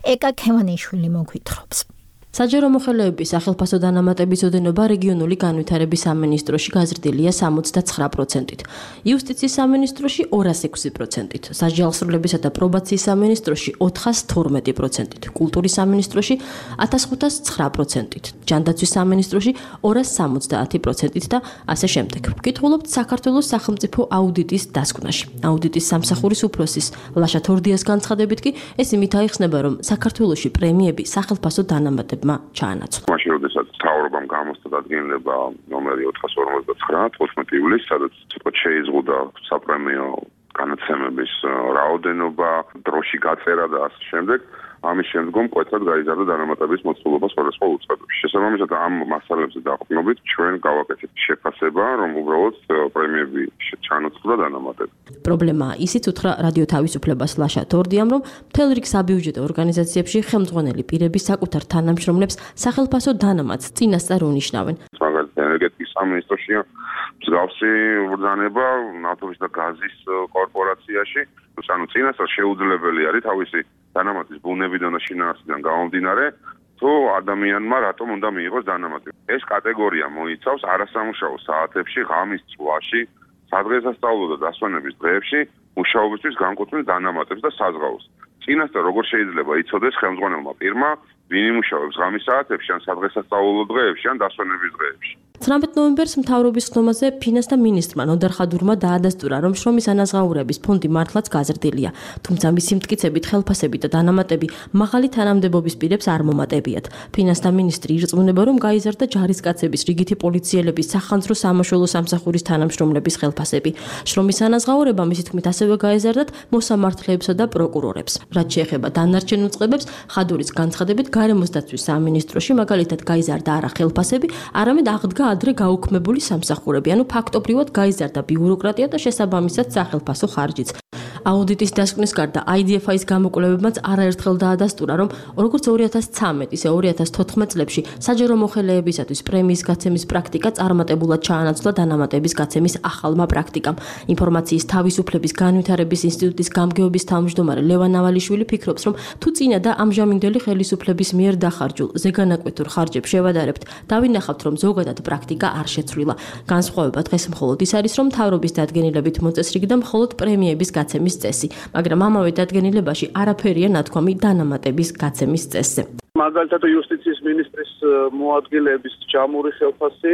C: ეკა ქევანიშვილი მოგვითხრობს.
R: საჯარო მოხელეების სახელფასო დანამატების ოდენობა რეგიონული განვითარების სამინისტროში გაზრდილია სამოცდაცხრა პროცენტით, იუსტიციის სამინისტროში ორას ექვსი პროცენტით, სასჯელსრულებისა და პრობაციის სამინისტროში ოთხას თორმეტი პროცენტით, კულტურის სამინისტროში ათას ხუთას ცხრა პროცენტით, ჯანდაცვის სამინისტროში ორას სამოცდაათი პროცენტით და ასე შემდეგ. ვკითხულობთ საქართველოს სახელმწიფო აუდიტის დასკვნაში. აუდიტის სამსახურის უფროსის ლაშა თორდიას განცხადებით კი ეს იმით აიხსნება, რომ საქართველოში პრემიები სახელფასო დანამატებმა ჩაანაცვლა.
S: მაშინ როდესაც მთავრობამ გამოსცა დადგენილება ნომერი ოთხას ორმოცდაცხრა თოთხმეტი ივლისს, სადაც ცოტა შეიზღუდა საპრემიო განათლების რაოდენობა, დროში გაწერა და ასე შემდეგ. ამის შემდგომ კვეთად გაიზარდა დანამატების მოცულობა სხვადასხვა უწყებებში. შესაბამისად ამ მასალებზე დაყრდნობით ჩვენ გავაკეთეთ შეფასება, რომ უბრალოდ პრემიები ჩანაცვლა დანამატებით.
R: პრობლემაა ისიც უთხრა რადიო თავისუფლებას ლაშა თორდიამ, რომ მთელ რიგ საბიუჯეტო ორგანიზაციებში ხელმძღვანელი პირები საკუთარ თანამშრომლებს სახელფასო დანამატს წინასწარ უნიშნავენ.
S: მაგალითად ენერგეტიკის სამინისტროშია მსგავსი ბრძანება ნავთობის და გაზის კორპორაციაში, ანუ წინასწარ შეუძლებელი არის თავისი დანამატის ბუნებიდან და შინაარსიდან გამომდინარე, თუ ადამიანმა რატომ უნდა მიიღოს დანამატი. ეს კატეგორია მოიცავს არასამუშაო საათებში, ღამის წვაში, სადღესასწაულო და დასვენების დღეებში მუშაობისთვის განკუთვნილ დანამატებს და საზღაოს. წინასწარ როგორ შეიძლება იცოდეს ხელმძღვანელმა პირმა, ვინ იმუშავებს ღამის საათებში, ან სადღესასწაულო დღეებში, ან დასვენების დღეებში.
R: ცხრამეტ ნოემბერს მთავრობის ხდომაზე ფინანსთა მინისტრმა ნოდარ ხადურმა დაადასტურა, რომ შრომის ანაზღაურების ფონდი მართლაც გაზრდილია, თუმცა მისი მტკიცებით ხელფასები და დანამატები მაღალი თანამდებობის პირებს არ მომატებიათ. ფინანსთა მინისტრი ირწმუნება, რომ გაიზარდა ჯარისკაცების, რიგითი პოლიციელების, სახანძრო სამაშველო სამსახურის თანამშრომლების ხელფასები. შრომის ანაზღაურება მისი თქმით ასევე გაეზარდათ მოსამართლეებსა და პროკურორებს. რაც შეეხება დანარჩენ უწყებებს, ხადურის განცხადებით გარემოს დაცვის სამინისტროში მაგალითად გაიზარდა არა ხელფასები, არამედ აღდგა ადრე გაუქმებული სამსახურები, ანუ ფაქტობრივად გაიზარდა ბიუროკრატია და შესაბამისად სახელფასო ხარჯიც. აუდიტის დასკვნის გარდა აი დი ეფ აის გამოკვლევებმაც არაერთხელ დაადასტურა, რომ როგორც ორი ათას ცხრამეტ, ისე ორი ათას თოთხმეტ წლებში საჯარო მოხელეებისათვის პრემიის გაცემის პრაქტიკა წარმატებულად ჩაანაცვლა დანამატების გაცემის ახალმა პრაქტიკამ. ინფორმაციის თავისუფლების განვითარების ინსტიტუტის გამგეობის თავმჯდომარე ლევან ავალიშვილი ფიქრობს, რომ თუ წინა და ამჟამინდელი ხელისუფლების მიერ დახარჯულ ზეგანაკვეთურ ხარჯებს შევადარებთ, დავინახავთ, რომ ზოგადად პრაქტიკა არ შეცვლილა. განსხვავება დღეს მხოლოდ ის არის, რომ მთავრობის დადგენილებით მოწესრიგდა მხოლოდ პრემიების გაცემის წესი, მაგრამ ამავე დადგენილებაში არაფერია ნათქვამი დანამატების გაცემის წესზე.
E: მაგალითად იუსტიციის მინისტრის მოადგილეების ჯამური ხელფასი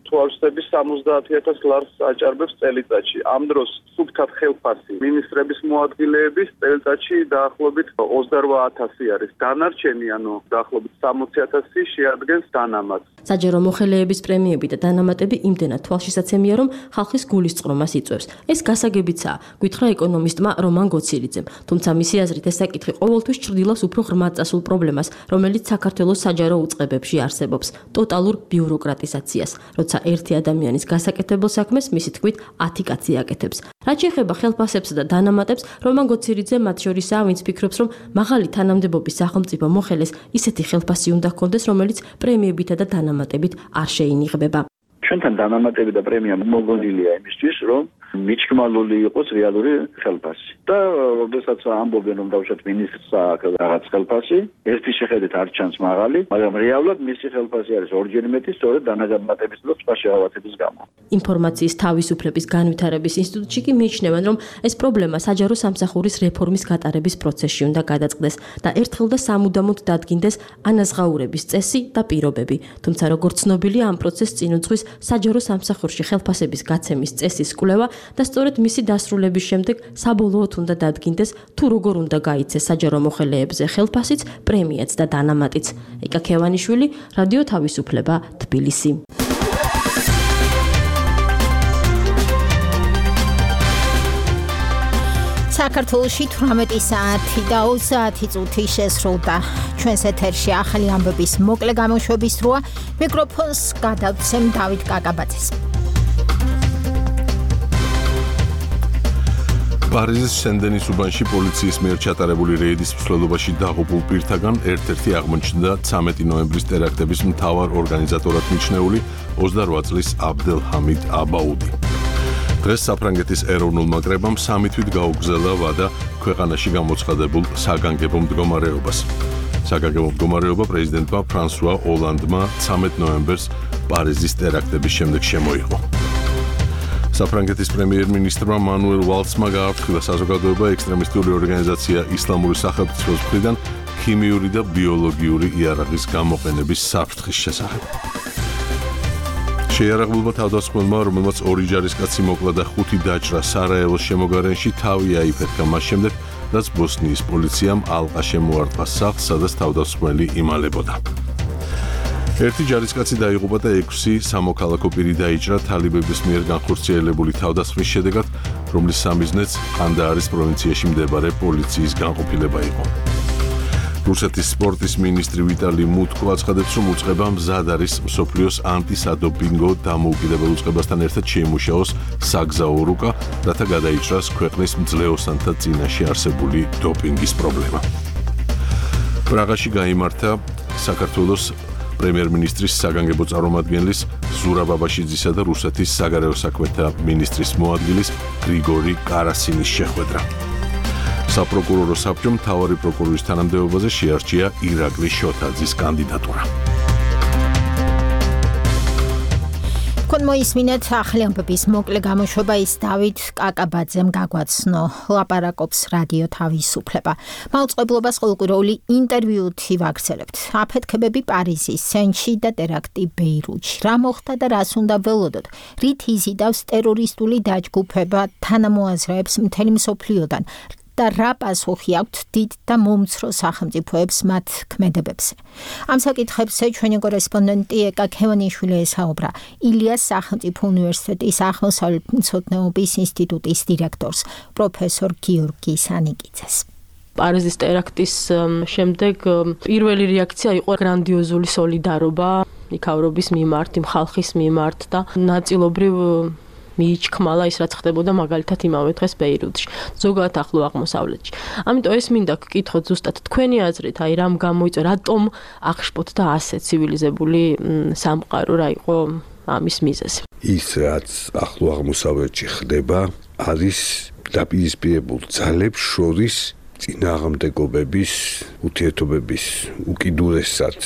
E: თვალსების სამოცდაათი ათას ლარს აჭარბებს წელიწადში. ამ დროს სუბთად ხელფასი მინისტრების მოადგილეების წელიწადში დაახლოებით ოცდარვა ათასი არის. დანარჩენი, ანუ დაახლოებით სამოცი ათასი შეადგენს დანამატს.
R: საჯარო მოხელეების პრემიები და დანამატები იმდენად თვალშისაცემია, რომ ხალხის გულისწყრომას იწვევს. ეს გასაგებიცაა, გვითხრა ეკონომისტმა რომან გოცირიძემ. თუმცა მისი აზრით ეს საკითხი ყოველთვის ჩრდილავს უფრო ღრმად წასულ პრობლემას, რომელიც საქართველოს საჯარო უწყებებში არსებობს, ტოტალურ ბიუროკრატიზაციას, როცა ერთი ადამიანის გასაკეთებელ საქმეს მისი თქმით ათი კაცი აკეთებს. რაც შეეხება ხელფასებსა და დანამატებს, რომან გოცირიძე მათ შორისაა, ვინც ფიქრობს, რომ მაღალი თანამდებობის სახელმწიფო მოხელეს ისეთი ხელფასი უნდა ჰქონდეს, რომელიც პრემიებითა და დანამატებით არ შეინიღბება.
E: ჩვენთან დანამატები და პრემია მოგონილია იმისთვის, რომ მიჩქმალული იყოს რეალური ხელფასი. და როდესაც ამბობენ რომ დავუშვათ მინისტრს აქვს რაღაც ხელფასი, ერთის შეხედვით არ ჩანს მაღალი, მაგრამ რეალურად მისი ხელფასი არის ორჯერ მეტი, სწორედ დანაგამატების და სხვა შეავათების გამო.
R: ინფორმაციის თავისუფლების განვითარების ინსტიტუტში კი მიიჩნევენ, რომ ეს პრობლემა საჯარო სამსახურის რეფორმის გატარების პროცესში უნდა გადაწყდეს და ერთხელ და სამუდამოდ დადგინდეს ანაზღაურების წესი და პირობები. თუმცა როგორც ცნობილია, ამ პროცესს წინ უძღვის საჯარო სამსახურში ხელფასების გაცემის წესის კვლევა და სწორედ მისი დასრულების შემდეგ საბოლოოდ უნდა დადგინდეს თუ როგორ უნდა გაიცეს საჯარო მოხელეებზე ხელფასიც, პრემიაც და დანამატიც. ეკა ქევანიშვილი, რადიო თავისუფლება, თბილისი.
C: საქართველოში თვრამეტი საათი და ოცდაათი წუთი შესრულდა. ჩვენს ეთერში ახალი ამბების მოკლე გამოშვების დროა. მიკროფონს გადავცემ დავით კაკაბაძეს.
B: პარიზის სენ-დენის უბანში პოლიციის მიერ ჩატარებული რეიდის მსვლელობაში დაღუპულ პირთაგან ერთ-ერთი აღმოჩნდა ცამეტი ნოემბრის ტერაქტების მთავარ ორგანიზატორად მიჩნეული ოცდარვა წლის აბდელჰამიდ აბაუდი. დღეს საფრანგეთის ეროვნულმა კრებამ სამი თვით გაუგზავნა ვადა ქვეყანაში გამოცხადებულ საგანგებო მდგომარეობას. საგანგებო მდგომარეობა პრეზიდენტმა ფრანსუა ოლანდმა ცამეტ ნოემბერს პარიზის ტერაქტების შემდეგ შემოიღო. საფრანგეთის პრემიერ-მინისტრმა მანუელ ვალცმა გააფრთხილა საზოგადოება ექსტრემისტული ორგანიზაცია ისლამური სახელმწიფოს მხრიდან ქიმიური და ბიოლოგიური იარაღის გამოყენების საფრთხის შესახებ. შეიარაღებულმა თავდასხმელმა, რომელმაც ორი ჯარისკაცი მოკლა და ხუთი დაჭრა სარაევოს შემოგარენში, თავი აიფეთქა მას შემდეგ, რაც ბოსნიის პოლიციამ ალყა შემოარტყა სახლს, სადაც თავდასხმელი იმალებოდა. ერთი ჯარისკაცი დაიღუპა და ექვსი სამოქალაქო პირი დაიჭრა თალიბების მიერ განხორციელებული თავდასხმის შედეგად, რომლის სამიზნეც ყანდაარის პროვინციაში მდებარე პოლიციის განყოფილება იყო. რუსეთის სპორტის მინისტრი ვიტალი მუტკო აცხადებს, რომ უწყება მზად არის მსოფლიოს ანტისადოპინგო დამოუკიდებელ უწყებასთან ერთად შეიმუშაოს საგზაო რუკა, რათა გადაიჭრას ქვეყნის მძლეოსანთა წინაშე არსებული დოპინგის პრობლემა. პრაღაში გაიმართა საქართველოს პრემიერ-მინისტრის საგანგებო წარმომადგენლის ზურა ბაბაშიძისა და რუსეთის საგარეო საქმეთა მინისტრის მოადგილის გრიგორი კარასინის შეხვედრა. საპროკურორო საბჭომ მთავარი პროკურორის თანამდებობაზე შეარჩია ირაკლი შოთაძის კანდიდატურა.
C: კონმოისმინეთ ახალი ამბების მოკლე გამოშვება ის დავით კაკაბაძემ გაგვაცნო. ლაპარაკობს რადიო თავისუფლება. მაუწყებლობას ყოველკვირეული ინტერვიუთი ვაგრძელებთ. აფეთქებები პარიზის სენში და ტერაქტი ბეირუთში. რა მოხდა და რას უნდა ველოდოთ? რით იზიდავს ტერორისტული დაჯგუფება თანამოაზრეებს მთელი მსოფლიოდან? და რა პასუხი აქვთ დიდ და მომცრო სახელმწიფოებს მათ ქმედებებზე. ამ საკითხებზე ჩვენი კორესპონდენტი ეკა ქევანიშვილი ესაუბრა ილიას სახელმწიფო უნივერსიტეტის აღმოსავლეთმცოდნეობის ინსტიტუტის დირექტორს, პროფესორ გიორგი სანიკიძეს.
R: პარიზის ტერაქტის შემდეგ პირველი რეაქცია იყო გრანდიოზული სოლიდარობა იქავრობის მიმართ, იმ ხალხის მიმართ და ნაწილობრივ მიიჩქმალა ის რაც ხდებოდა მაგალითად იმავე დღეს ბეირუთში, ზოგადად ახლო აღმოსავლეთში. ამიტომ ეს მინდა გკითხოთ ზუსტად თქვენი აზრით, აი რამ გამოიწვია, რატომ აღშფოთდა ასე ცივილიზებული სამყარო, რა იყო ამის მიზეზი?
F: ის რაც ახლო აღმოსავლეთში ხდება, არის დაპირისპირებულ ძალებს შორის წინააღმდეგობების ურთიერთობების უკიდურესად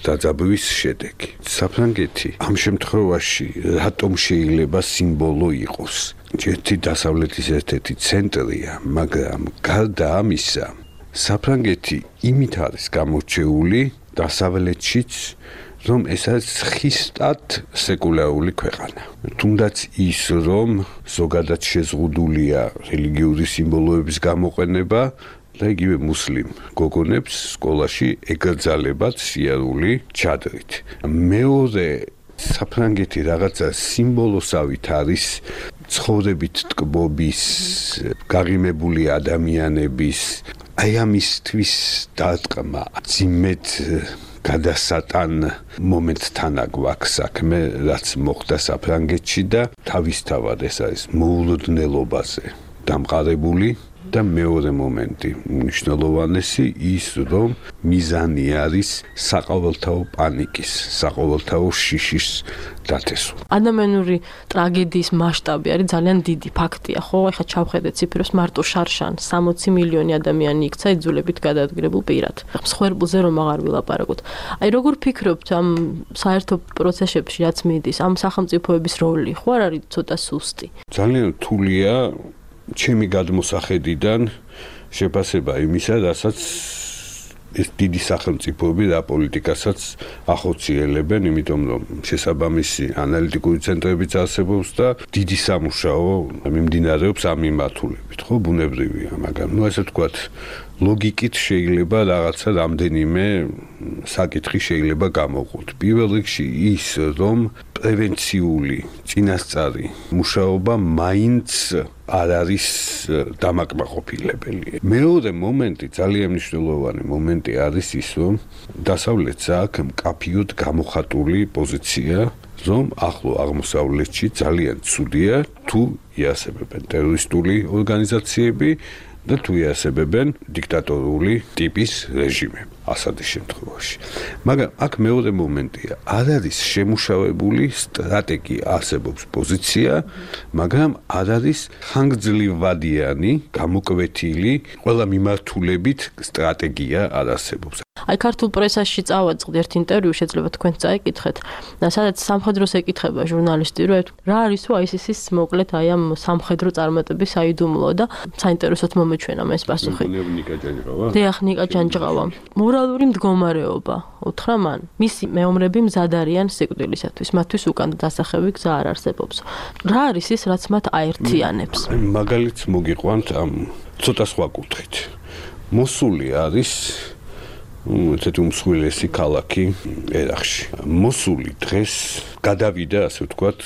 F: დაძაბვის შედეგი. საფრანგეთი ამ შემთხვევაში რატომ შეიძლება სიმბოლო იყოს? ერთი დასავლეთის ერთ-ერთი ცენტრია, მაგრამ გარდა ამისა, საფრანგეთი იმით არის გამორჩეული დასავლეთშიც, რომ ეს არის ხისტად სეკულარული ქვეყანა. თუნდაც ის, რომ ზოგადად შეზღუდულია რელიგიური სიმბოლოების გამოყენება და იგივე მუსლიმ გოგონებს სკოლაში ეკრძალებათ სიარული ჩადრით. მეორე საფრანგეთი რაღაცა სიმბოლოსავით არის ცხოვრებით ტკბობის, გაღიმებული ადამიანების, აი ამისთვის დარტყმა, ძიმედ გადასატან მომენტთან აგვაქვს საქმე, რაც მოხდა საფრანგეთში და თავისთავად ეს არის მოულოდნელობაზე დამყარებული და მეორე მომენტი, მნიშვნელოვანესი ის, რომ მიზანი არის საყოველთაო პანიკის, საყოველთაო შიშის დათესვა.
R: ადამიანური ტრაგედიის მასშტაბი არის ძალიან დიდი ფაქტია, ხო? ეხლა ჩავხედეთ ციფრებს, მარტო შარშან სამოცი მილიონი ადამიანი იქცა იძულებით გადაადგილებულ პირად. მსხვერპლზე რომ აღარ ვილაპარაკოთ. აი როგორ ფიქრობთ ამ საერთო პროცესებში, რაც მიდის, ამ სახელმწიფოების როლი ხო არ არის ცოტა სუსტი?
F: ძალიან რთულია ჩემი გადმოსახედიდან შეფასება იმისა, რასაც ეს დიდი სახელმწიფოები და პოლიტიკასაც ახორციელებენ, იმიტომ რომ შესაბამისი ანალიტიკური ცენტრებიც არსებობს და დიდი სამუშაო მიმდინარეობს ამ მიმართულებით, ხო, ბუნებრივია, მაგრამ ნუ ასე ვთქვათ, ლოგიკით შეიძლება რაღაცა რამდენიმე საკითხი შეიძლება გამოვყოთ. პირველ რიგში ის, რომ პრევენციული წინასწარი მუშაობა მაინც არ არის დამაკმაყოფილებელი. მეორე მომენტი, ძალიან მნიშვნელოვანი მომენტი არის ის, რომ დასავლეთს აქვს მკაფიოდ გამოხატული პოზიცია, რომ ახლო აღმოსავლეთში ძალიან ცუდია თუ იარსებებენ ტერორისტული ორგანიზაციები და თუ იარსებებენ დიქტატორული ტიპის რეჟიმები ასადის შემთხვევაში. მაგრამ აქ მეორე მომენტია, არ არის შემუშავებული სტრატეგია, არსებობს პოზიცია, მაგრამ არ არის ხანგრძლივადიანი, გამოკვეთილი, ყველა მიმართულებით სტრატეგია არ არსებობს.
R: აი ქართულ პრესაში წავაწყდი ერთ ინტერვიუ, შეიძლება თქვენ წაიკითხეთ, სადაც სამხედროს ეკითხება ჟურნალისტი, რომ რა არის თუ აისისის მოკლედ აი ამ სამხედრო წარმატების საიდუმლო და საინტერესოდ მომეჩვენა ეს პასუხი.
F: ნიკა ჯანჯღავა.
R: დიახ, ნიკა ჯანჯღავა. მორალური მდგომარეობა, უთხრა მან. მისი მეომრები მზად არიან სიკვდილისათვის, მათთვის უკან დასახევი გზა არ არსებობს. რა არის ის, რაც მათ აერთიანებს?
F: მაგალითს მოგიყვანთ ამ ცოტა სხვა კუთხით. მოსული არის ესეთი უმსხვილესი ქალაქი ერაყში. მოსული დღეს გადავიდა, ასე ვთქვათ,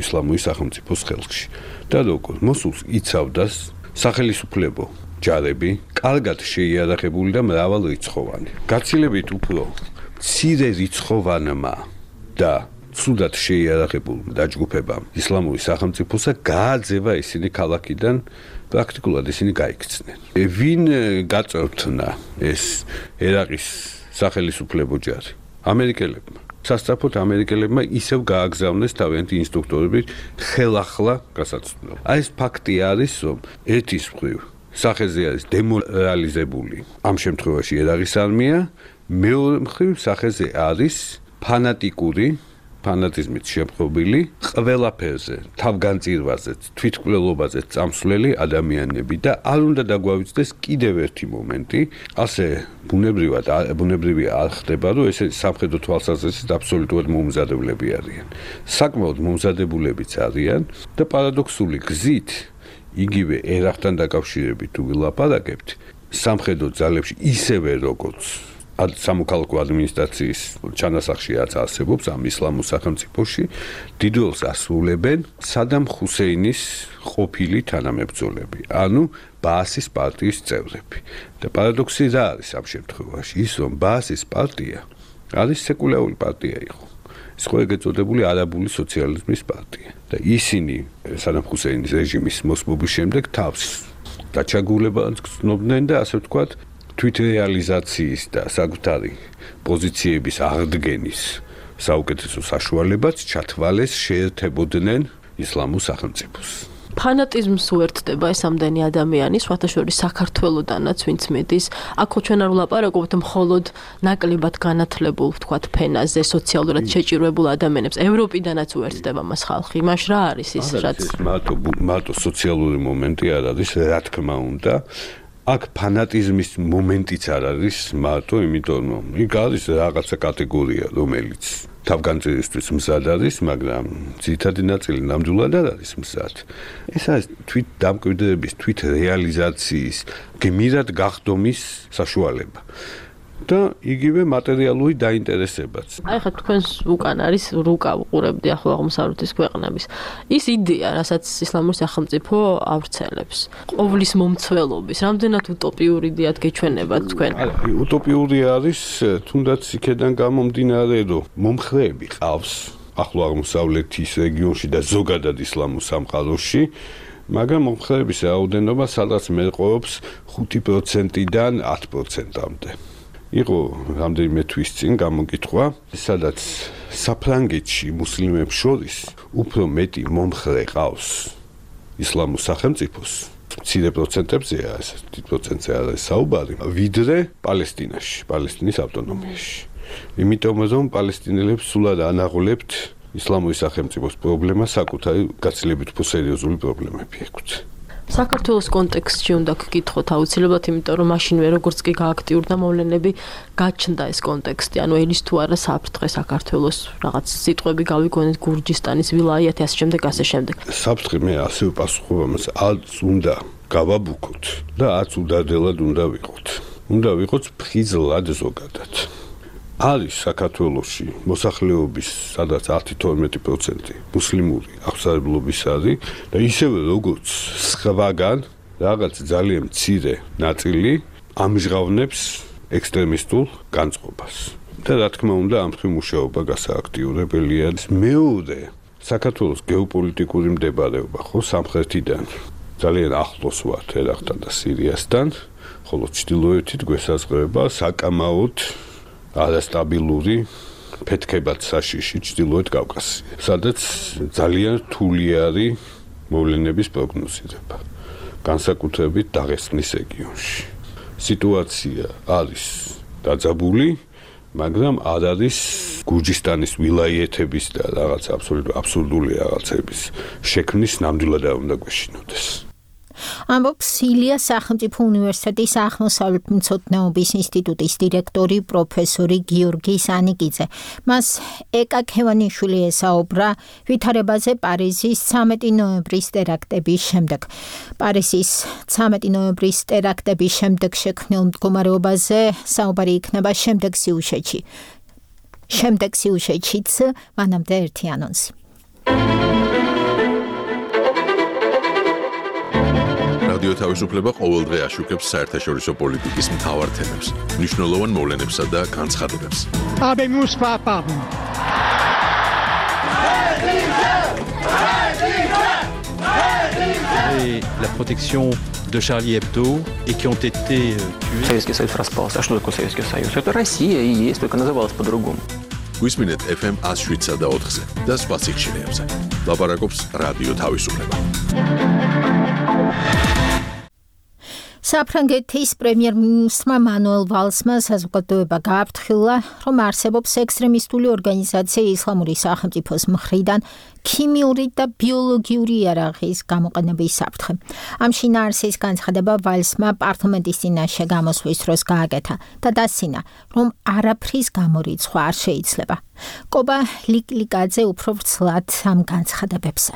F: ისლამური სახელმწიფოს ხელში. და როგორ მოსულს იცავდას სახელისუფლებო ჯარები, კარგად შეიარაღებული და მრავალრიცხოვანი. გაცილებით უფრო მცირე რიცხოვანმა და ცუდად შეიარაღებულ დაჯგუფებამ ისლამური სახელმწიფოსა გააძევა ისინი ქალაქიდან, პრაქტიკულად ისინი გაიქცნენ. ვინ გაწევთნა ეს ერაყის სახელისუფლებო ჯარი? ამერიკელებმა. სასწრაფოდ ამერიკელებმა ისევ გააგზავნეს თავიანთი ინსტრუქტორები ხელახლა გასაცდელად. აი ეს ფაქტი არის, რომ ერთის მხრივ სახეზე არის დემორალიზებული ამ შემთხვევაში ერაყის არმია, მეორე მხრივ სახეზე არის ფანატიკური ფანატიზმით შემხობილი ყველაფერზე, თავგანწირვაზე, თვითმკვლელობაზე წამსვლელი ადამიანები და არ უნდა დაგვავიწყდეს კიდევ ერთი მომენტი, ასე ბუნებრივად ბუნებრივი არ ხდება, რომ ესე სამხედრო თვალსაზრისით აბსოლუტურად მომზადებლები არიან. საკმაოდ მომზადებულებიც არიან და პარადოქსული გზით იგივე ერაყთან დაკავშირებით თუ ვილაპარაკებთ, სამხედრო ძალებში ისევე როგორც სამოქალაქო ადმინისტრაციის ჩანასახში რაც არსებობს ამ ისლამურ სახელმწიფოში, დიდ როლს ასრულებენ სადამ ხუსეინის ყოფილი თანამებრძოლები, ანუ ბაასის პარტიის წევრები. და პარადოქსი რა არის ამ შემთხვევაში? ის, რომ ბაასის პარტია არის სეკულარული პარტია იყო. ის ხო ეგრეთ წოდებული არაბული სოციალიზმის პარტია. და ისინი სადამ ხუსეინის რეჟიმის მოსმობის შემდეგ თავს დაჩაგულებას გრძნობდნენ და ასე ვთქვათ, თვითრეალიზაციის და საკუთარი პოზიციების აღდგენის საუკეთესო საშუალებაც ჩათვალეს შეერთებოდნენ ისლამურ სახელმწიფოს.
R: ფანატიზმს უერთდება ეს ამდენი ადამიანი, სხვათა შორის საქართველოდანაც ვინც მიდის. აქ ჩვენ არ ვლაპარაკობთ მხოლოდ ნაკლებად განათლებულ, ვთქვათ, ფენაზე, სოციალურად შეჭირვებულ ადამიანებს. ევროპიდანაც უერთდება მას ხალხი. იმას რა არის ის, რაც
F: მარტო მარტო სოციალური მომენტი არ არის, რა თქმა უნდა. აქ ფანატიზმის მომენტიც არ არის მარტო, იმიტომ რომ იქ არის რაღაცა კატეგორია, რომელიც თავგანწირვისთვის მზად არის, მაგრამ ძირითადი ნაწილი ნამდვილად არ არის მზად. ეს არის თვით დამკვიდრების, თვით რეალიზაციის, გმირად გახდომის საშუალება. და იგივე მატერიალური დაინტერესებაც.
R: აი ხა თქვენს უკან არის რუკა უყურებდი ახლო აღმოსავლეთის ქვეყნების. ის იდეა, რასაც ისლამური სახელმწიფო ავრცელებს, ყოვლის მომცველობის, რამდენად უტოპიური იდეად გეჩვენებათ თქვენ?
F: უტოპიური არის, თუნდაც იქედან გამომდინარე, რომ მომხრეები ყავს ახლო აღმოსავლეთის რეგიონში და ზოგადად ისლამურ სამყაროში, მაგრამ მომხრეების რაოდენობა სადღაც მერყეობს ხუთი პროცენტიდან ათ პროცენტამდე. იყო რამდენიმე თვის წინ გამოკითხვა, სადაც საფრანგეთში მუსლიმებს შორის უფრო მეტი მომხრე ყავს ისლამურ სახელმწიფოს, მცირე პროცენტებზეა, ეს დიდ პროცენტზე არ არის საუბარი, ვიდრე პალესტინაში, პალესტინის ავტონომიაში. იმიტომ რომ პალესტინელებს სულად ანაღოლებთ ისლამური სახელმწიფოს პრობლემა საკუთარი გაცილებით უფრო სერიოზული პრობლემები ექვთ.
R: საქართველოს კონტექსტში უნდა გკითხოთ აუცილებლად, იმიტომ რომ მაშინვე როგორც კი გააქტიურდა მოვლენები, გაჩნდა ეს კონტექსტი, ანუ ელის თუ არა საფრთხე საქართველოს რაღაც სიტყვები გავიგონეთ გურჯისტანის ვილაიათი ასე შემდეგ ასე შემდეგ.
F: საფრთხე მე ასე ვპასუხობ ამას, არც უნდა გავაბუქოთ და არც უდარდელად უნდა ვიყოთ. უნდა ვიყოთ ფხიზლად ზოგადად. არის საქართველოში მოსახლეობის სადაც ათი თორმეტი პროცენტი მუსლიმური აღსარებლობის არის და ისევე როგორც სხვაგან რაღაც ძალიან მცირე ნაწილი ამჟღავნებს ექსტრემისტულ განწყობას. და რა თქმა უნდა ამ ხრი მუშაობა გასააქტიურებელია. მეორე საქართველოს გეოპოლიტიკური მდებარეობა ხო სამხრეთიდან ძალიან ახლოს ვართ ერაყთან და სირიასთან, ხოლო ჩრდილოეთით გვესაზღვრება საკამაოდ არასტაბილური ფეთქებად საშიში ჩრდილოეთ კავკასია, სადაც ძალიან რთული არის მოვლენების პროგნოზირება, განსაკუთრებით დაღესტნის რეგიონში. სიტუაცია არის დაძაბული, მაგრამ არ არის გურჯისტანის ვილაიეთების და რაღაც აბსურდული რაღაცების შექმნის ნამდვილად არ უნდა გვეშინოდეს.
C: ამბობს ილიას სახელმწიფო უნივერსიტეტის აღმოსავლეთმცოდნეობის ინსტიტუტის დირექტორი პროფესორი გიორგი სანიკიძე. მას ეკა ქევანიშვილი ესაუბრა ვითარებაზე პარიზის ცამეტი ნოემბრის ტერაქტების შემდეგ. პარიზის ცამეტი ნოემბრის ტერაქტების შემდეგ შექმნილ მდგომარეობაზე საუბარი იქნება შემდეგ სიუჟეტში. შემდეგ სიუჟეტშიც მანამდე ერთი ანონსი.
B: რადიო თავისუფლება ყოველდღე აშუქებს საერთაშორისო პოლიტიკის მთავარ თემებს, მნიშვნელოვან მოვლენებსა და განცხადებებს.
T: Habemus papam.
U: Et la protection de Charlie Hebdo et qui ont été tués.
V: Советский Союз распался. А что такое Советский Союз? Это Россия и есть, только называлась по-другому.
B: გვისმინეთ эф эм one oh seven და ოთხზე და სხვა სიხშირეებზე. ლაპარაკობს რადიო თავისუფლება.
C: საფრანგეთის პრემიერ-მინისტრმა მანუელ ვალსმა საზოგადოება გააფრთხილა, რომ არსებობს ექსტრემისტული ორგანიზაცია ისლამური სახელმწიფოს მხრიდან ქიმიური და ბიოლოგიური იარაღის გამოყენების საფრთხე. ამ შინაარსის განცხადება ვალსმა პარლამენტის წინაშე გამოსვლის დროს გააკეთა და დასცინა, რომ არაფრის გამორიცხვა არ შეიძლება. კობა ლიკლიკაძე უფრო ვრცლად ამ განცხადებებზე.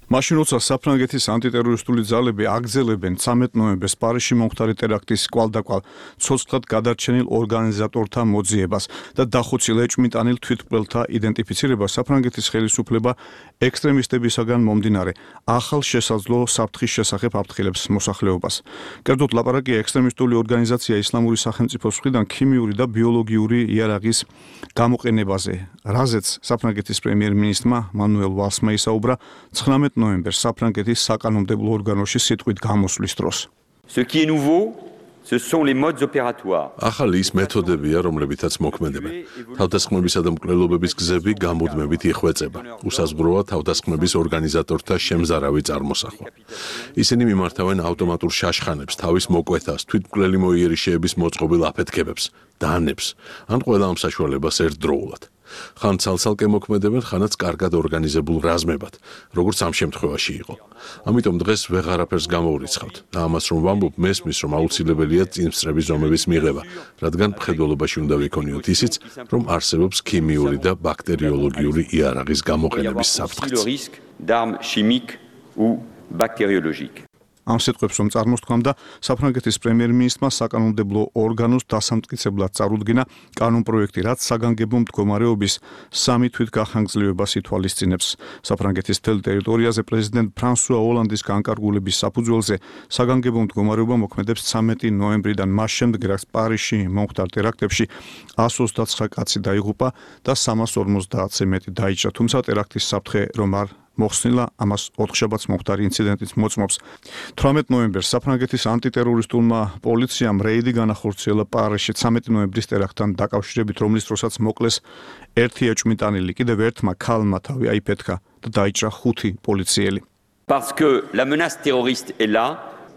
D: მაშინ როცა საფრანგეთის ანტიტერორისტული ძალები აგრძელებენ ცამეტ ნოემბერს პარიზში მომხდარი ტერაქტის კვალდაკვალ ცოცხლად გადარჩენილ ორგანიზატორთა მოძიებას და დახოცილ ეჭვმიტანილ თვითმკვლელთა იდენტიფიცირებას, საფრანგეთის ხელისუფლება ექსტრემისტებისაგან მომდინარე ახალ შესაძლო საფრთხის შესახებ აფრთხილებს მოსახლეობას. კერძოდ ლაპარაკია ექსტრემისტული ორგანიზაცია ისლამური სახელმწიფოს მხრიდან ქიმიური და ბიოლოგიური იარაღის გამოყენებაზე, რაზეც საფრანგეთის პრემიერ-მინისტრმა მანუელ ვალსმა ისაუბრა ცხრამეტ ნოემბერს საფრანგეთის საკანონმდებლო ორგანოში სიტყვით გამოსვლის დროს.
W: Ce qui est nouveau, ce sont les modes opératoires.
B: ახალი ის მეთოდებია, რომლებითაც მოქმედებენ. თავდასხმებისა და მკვლელობების გზები გამუდმებით იხვეწება. უსაზღვროა თავდასხმების ორგანიზატორთა შემზარავი წარმოსახვა. ისინი მიმართავენ ავტომატურ შაშხანებს, თავის მოკვეთას, თვითმკვლელი მოიერიშეების მოწყობილ აფეთქებებს, დანებს, ან ყველა ამ საშუალებას ერთდროულად. ხან ცალ-ცალკე მოქმედებენ, ხანაც კარგად ორგანიზებულ რაზმებად, როგორც ამ შემთხვევაში იყო. ამიტომ დღეს ვეღარაფერს გამოვრიცხავთ და ამას რომ ვამბობ, მესმის რომ აუცილებელია წინსწრების ზომების მიღება, რადგან მხედველობაში უნდა ვიქონიოთ ისიც, რომ არსებობს ქიმიური და ბაქტერიოლოგიური იარაღის გამოყენების საფრთხეც.
W: d'armes chimiques ou bactériologiques.
D: ამ სიტყვებს რომ წარმოსთქვამდა, საფრანგეთის პრემიერ-მინისტრმა საკანონმდებლო ორგანოს დასამტკიცებლად წარუდგინა კანონპროექტი, რაც საგანგებო მდგომარეობის სამი თვითგახანგრძლივებას ითვალისწინებს. საფრანგეთის მთელ ტერიტორიაზე პრეზიდენტ ფრანსუა ოლანდის განკარგულების საფუძველზე საგანგებო მდგომარეობა მოქმედებს ცამეტი ნოემბრიდან, მას შემდეგ, რაც პარიზში მომხდარ ტერაქტებში εκατს ოცდაცხრა კაცი დაიღუპა და სამას ორმოცდაათზე მეტი დაიჭრა, თუმცა ტერაქტის საფრთხე რომ არ მოხსნილა ამას ოთხშაბათს მომხდარი ინციდენტის მოწმობს. თვრამეტ ნოემბერს საფრანგეთის ანტიტერორისტულმა პოლიციამ რეიდი განახორციელა პარიზში ცამეტი ნოემბრის ტერაქტთან დაკავშირებით, რომლის დროსაც მოკლეს ერთი ეჭვმიტანილი, კიდევ ერთმა ქალმა თავი აიფეთქა და დაიჭრა ხუთი პოლიციელი.
W: Parce que la menace terroriste est là.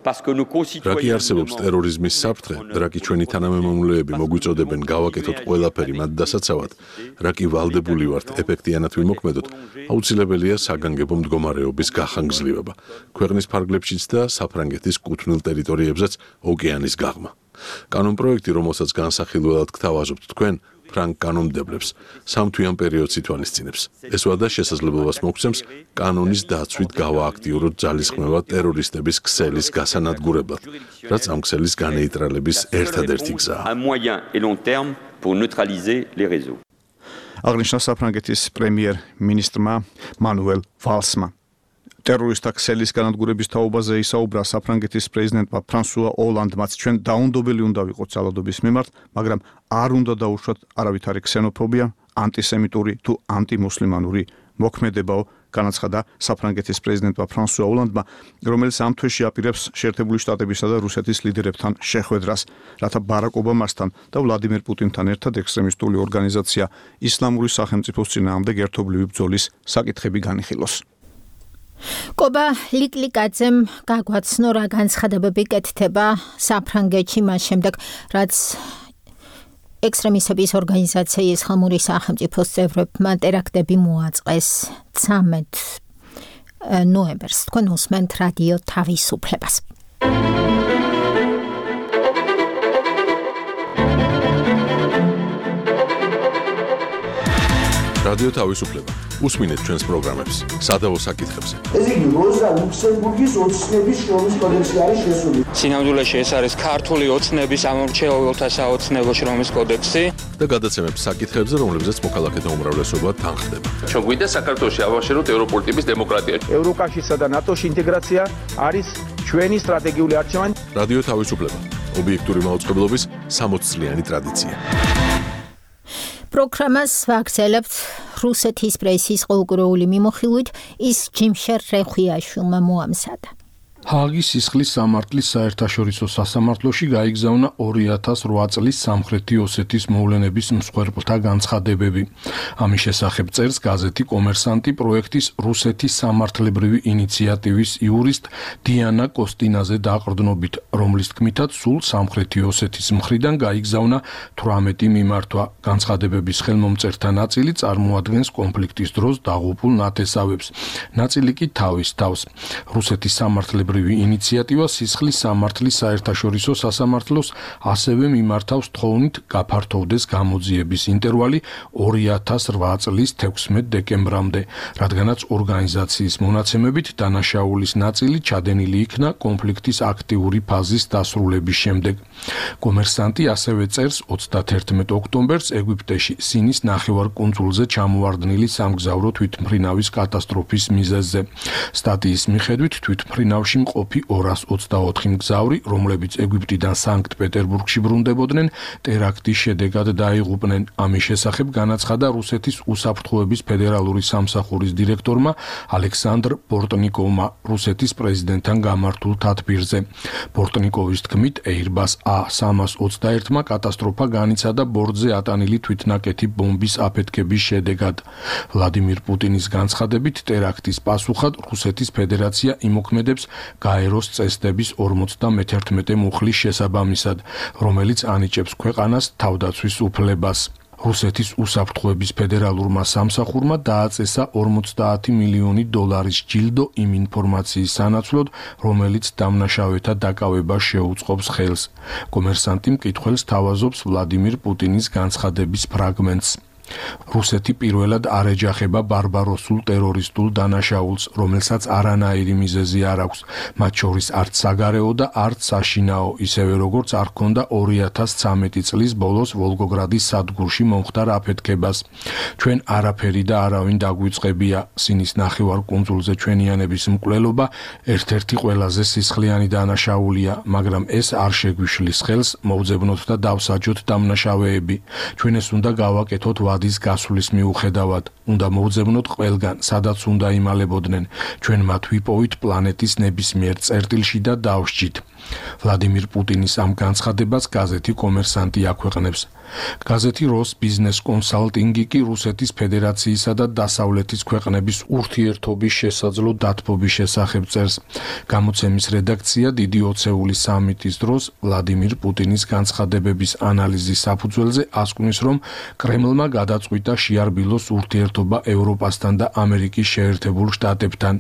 B: რაკი არსებობს ტერორიზმის საფრთხე, რაკი ჩვენი თანამემამულეები მოგვიწოდებენ გავაკეთოთ ყველაფერი მათ დასაცავად, რაკი ვალდებული ვართ ეფექტიანად ვიმოქმედოთ, აუცილებელია საგანგებო მდგომარეობის გახანგრძლივება, ქვეყნის ფარგლებშიც და საფრანგეთის კუთვნილ ტერიტორიებზეც ოკეანის გაღმა. კანონპროექტი, რომელსაც განსახილველად გთავაზობთ თქვენ, ფრანგ კანონმდებლებს სამთვიან პერიოდს ითვალისწინებს. ეს ვადა შესაძლებლობას მოგცემს კანონის დაცვით გავააქტიუროთ ძალისხმევა ტერორისტების ქსელის გასანადგურებლად, რაც ამ ქსელის განეიტრალების ერთადერთი გზაა. აღნიშნა საფრანგეთის პრემიერ-მინისტრმა მანუელ ვალსმა. ტერორისტთა ქსელის განადგურების თაობაზე ისაუბრა საფრანგეთის პრეზიდენტმა ფრანსუა ოლანდმაც. ჩვენ დაუნდობელი უნდა ვიყოთ ძალადობის მიმართ, მაგრამ არ უნდა დაუშვათ არავითარი ქსენოფობია, ანტისემიტური თუ ანტიმუსლიმანური მოქმედებაო, განაცხადა საფრანგეთის პრეზიდენტმა ფრანსუა ოლანდმა, რომელიც ამ თვეში აპირებს შეერთებული შტატებისა და რუსეთის ლიდერებთან შეხვედრას, რათა ბარაკ ობამასთან და ვლადიმერ პუტინთან ერთად ექსტრემისტული ორგანიზაცია ისლამური სახელმწიფოს წინააღმდეგ ერთობლივი ბრძოლის საკითხები განიხილოს. კობა ლიკლიკაძემ გაგვაცნო რა განცხადებები კეთდება საფრანგეთში მას შემდეგ, რაც ექსტრემისტების ორგანიზაციის ისლამური სახელმწიფოს წევრებმა ტერაქტები მოაწყეს ცამეტ ნოემბერს. თქვენ უსმენთ რადიო თავისუფლებას. რადიო თავისუფლება. უსმინეთ ჩვენს პროგრამებს სადავო საკითხებზე.
A: ეს იგი როზა ლუქსემბურგის ოცნების შრომის კოდექსი არის შესული.
H: სინამდვილეში ეს არის ქართული ოცნების ამორჩეულთა საოცნებო შრომის კოდექსი
B: და გადაცემებს საკითხებზე, რომლებზეც მოქალაქეთა უმრავლესობა თანხდება.
I: ჩვენ გვინდა საქართველოში ავაშენოთ ევროპული ტიპის დემოკრატია.
H: ევროკავშირსა და ნატოში ინტეგრაცია არის ჩვენი სტრატეგიული არჩევანი.
B: რადიო თავისუფლება. ობიექტური მაუწყებლობის სამოც წლიანი ტრადიცია. პროგრამას ვაგრძელებთ რუსეთის პრესის ყოველკვირეული მიმოხილვით, ის ჯიმშერ რეხვიაშვილმა მოამზადა.
N: ჰააგის სისხლის სამართლის საერთაშორისო სასამართლოში გაიგზავნა ორი ათას რვა წლის სამხრეთი ოსეთის მოვლენების მსხვერპლთა განცხადებები. ამის შესახებ წერს გაზეთი კომერსანტი პროექტის რუსეთის სამართლებრივი ინიციატივის იურისტ დიანა კოსტინაზე დაყრდნობით, რომლის თქმითაც სულ სამხრეთი ოსეთის მხრიდან გაიგზავნა თვრამეტი მიმართვა. განცხადებების ხელმომწერთა ნაწილი წარმოადგენს კონფლიქტის დროს დაღუპულ ნათესავებს, ნაწილი კი თავის თავს. რუსეთის სამართლებრივი ინიციატივა სისხლის სამართლის საერთაშორისო სასამართლოს ასევე მიმართავს თხოვნით გაფართოვდეს გამოძიების ინტერვალი ორი ათას რვა წლის თექვსმეტ დეკემბრამდე, რადგანაც ორგანიზაციის მონაცემებით დანაშაულის ნაწილი ჩადენილი იქნა კონფლიქტის აქტიური ფაზის დასრულების შემდეგ. კომერსანტი ასევე წერს ოცდათერთმეტ ოქტომბერს ეგვიპტეში სინის ნახევარკუნძულზე ჩამოვარდნილი სამგზავრო თვითმფრინავის კატასტროფის მიზეზზე. სტატიის მიხედვით თვითმფრინავში მყოფი ორას ოცდაოთხი მგზავრი, რომლებიც ეგვიპტიდან სანქტ-პეტერბურგში ბრუნდებოდნენ, ტერაქტის შედეგად დაიღუპნენ. ამის შესახებ განაცხადა რუსეთის უსაფრთხოების ფედერალური სამსახურის დირექტორმა ალექსანდრ პორტნიკოვმა რუსეთის პრეზიდენტთან გამართულ თათბირზე. პორტნიკოვის თქმით, Airbus A სამას ოცდაერთმა კატასტროფა განიცადა ბორტზე ატანილი თვითნაკეთი ბომბის აფეთქების შედეგად. ვლადიმირ პუტინის განცხადებით, ტერაქტის პასუხად რუსეთის ფედერაცია იმოქმედებს გაეროს წესდების ორმოცდამეთერთმეტე მუხლის შესაბამისად, რომელიც ანიჭებს ქვეყანას თავდაცვის უფლებას. რუსეთის უსაფრთხოების ფედერალურმა სამსახურმა დააწესა ორმოცდაათი მილიონი დოლარის ჯილდო იმ ინფორმაციის სანაცვლოდ, რომელიც დამნაშავეთა დაკავებას შეუწყობს ხელს. კომერსანტი მკითხველს თავაზობს ვლადიმირ პუტინის განცხადების ფრაგმენტს. რუსეთი პირველად არ ეჯახება ბარბაროსულ ტერორისტულ დანაშაულს, რომელსაც არანაირი მიზეზი არ აქვს, მათ შორის არც საგარეო და არც საშინაო, ისევე როგორც არ ჰქონდა ორი ათას ცამეტი წლის ბოლოს ვოლგოგრადის სადგურში მომხდარ აფეთქებას. ჩვენ არაფერი და არავინ დაგვიწყებია. სინის ნახევარკუნძულზე ჩვენიანების მკვლელობა ერთ-ერთი ყველაზე სისხლიანი დანაშაულია, მაგრამ ეს არ შეგვიშლის ხელს მოვძებნოთ და დავსაჯოთ დამნაშავეები. ჩვენ ეს უნდა გავაკეთოთ ვადის გასulis მიუხედავად. უნდა მოვძებნოთ ყველგან, სადაც უნდა იმალებოდნენ. ჩვენ მათ ვიპოვით პლანეტის ნებისმიერ წერტილში და დავსჯით. ვლადიმირ პუტინის ამ განცხადებას გაზეთი კომერსანტი აქვეყნებს. გაზეთი როს ბიზნეს კონსალტინგი კი რუსეთის ფედერაციისა და დასავლეთის ქვეყნების ურთიერთობის შესაძლო დათბობის შესახებ წერს. გამოცემის რედაქცია დიდი ოცეული სამიტის დროს ვლადიმირ პუტინის განცხადებების ანალიზის საფუძველზე ასკვნის, რომ კრემლმა გადაწყვიტა შეარბილოს ურთიერთობა ევროპასთან და ამერიკის შეერთებულ შტატებთან.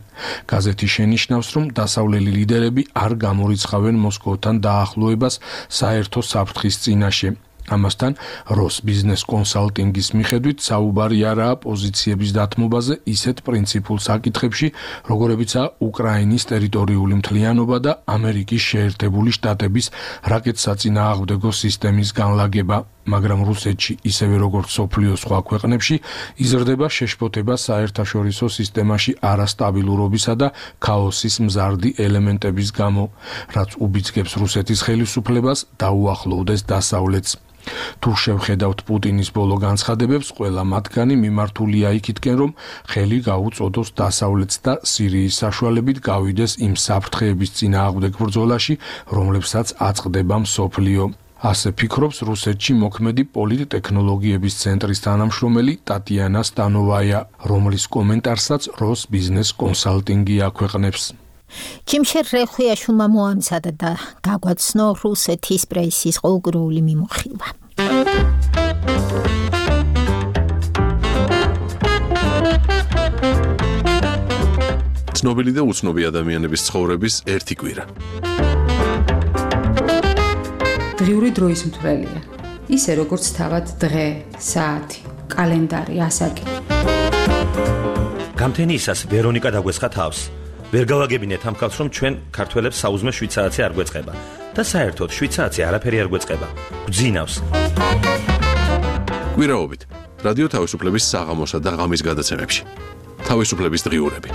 N: გაზეთი შენიშნავს, რომ დასავლელი ლიდერები არ გამორიცხავენ მოსკოვთან დაახლოებას საერთო საფრთხის წინაშე. ამასთან როს ბიზნეს კონსალტინგის მიხედვით საუბარი არაა პოზიციების დათმობაზე ისეთ პრინციპულ საკითხებში, როგორებიცაა უკრაინის ტერიტორიული მთლიანობა და ამერიკის შეერთებული შტატების რაკეტსაწინააღმდეგო სისტემის განლაგება. მაგრამ რუსეთში, ისევე როგორც სოფლიოს სხვა ქვეყნებში, იზრდება შეშფოთება საერთაშორისო სისტემაში არასტაბილურობისა და ქაოსის მზარდი ელემენტების გამო, რაც უბიძგებს რუსეთის ხელისუფლებას დაუახლოვდეს დასავლეთს. თუ შევხედავთ პუტინის ბოლო განცხადებებს, ყველა მათგანი მიმართულია იქითკენ, რომ ხელი გაუწოდოს დასავლეთს და სირიის საშუალებით გავიდეს იმ საფრთხეების წინააღმდეგ ბრძოლაში, რომლებსაც აწყდება მსოფლიო. ასე ფიქრობს რუსეთში მოქმედი პოლიტტექნოლოგიების ცენტრის თანამშრომელი ტატიანა სტანოვაია, რომლის კომენტარსაც როს ბიზნეს კონსალტინგი აქვეყნებს.
C: ჩიმშერ რეხუიაშვილმა მოამზადა და გაგვაცნო რუსეთის პრესის ყოველდღიური მიმოხილვა.
B: ცნობილი და უცნობი ადამიანების ცხოვრების ერთი კვირა.
G: დღიური დროის მთვრელია. ისე როგორც თავად დღე, საათი, კალენდარი, ასაკი.
J: გამთენიისას ვერონიკა დაგვესხა თავს. ვერ გავაგებინეთ ამ ხალხს, რომ ჩვენ ქართველებს საუზმე შვიცარიცი არ გვეწყება და საერთოდ შვიცარიცი არაფერი არ გვეწყება. გვძინავს.
B: კვირაობით რადიო თავისუფლების საღამოსა და ღამის გადაცემებში. თავისუფლების დღიურები.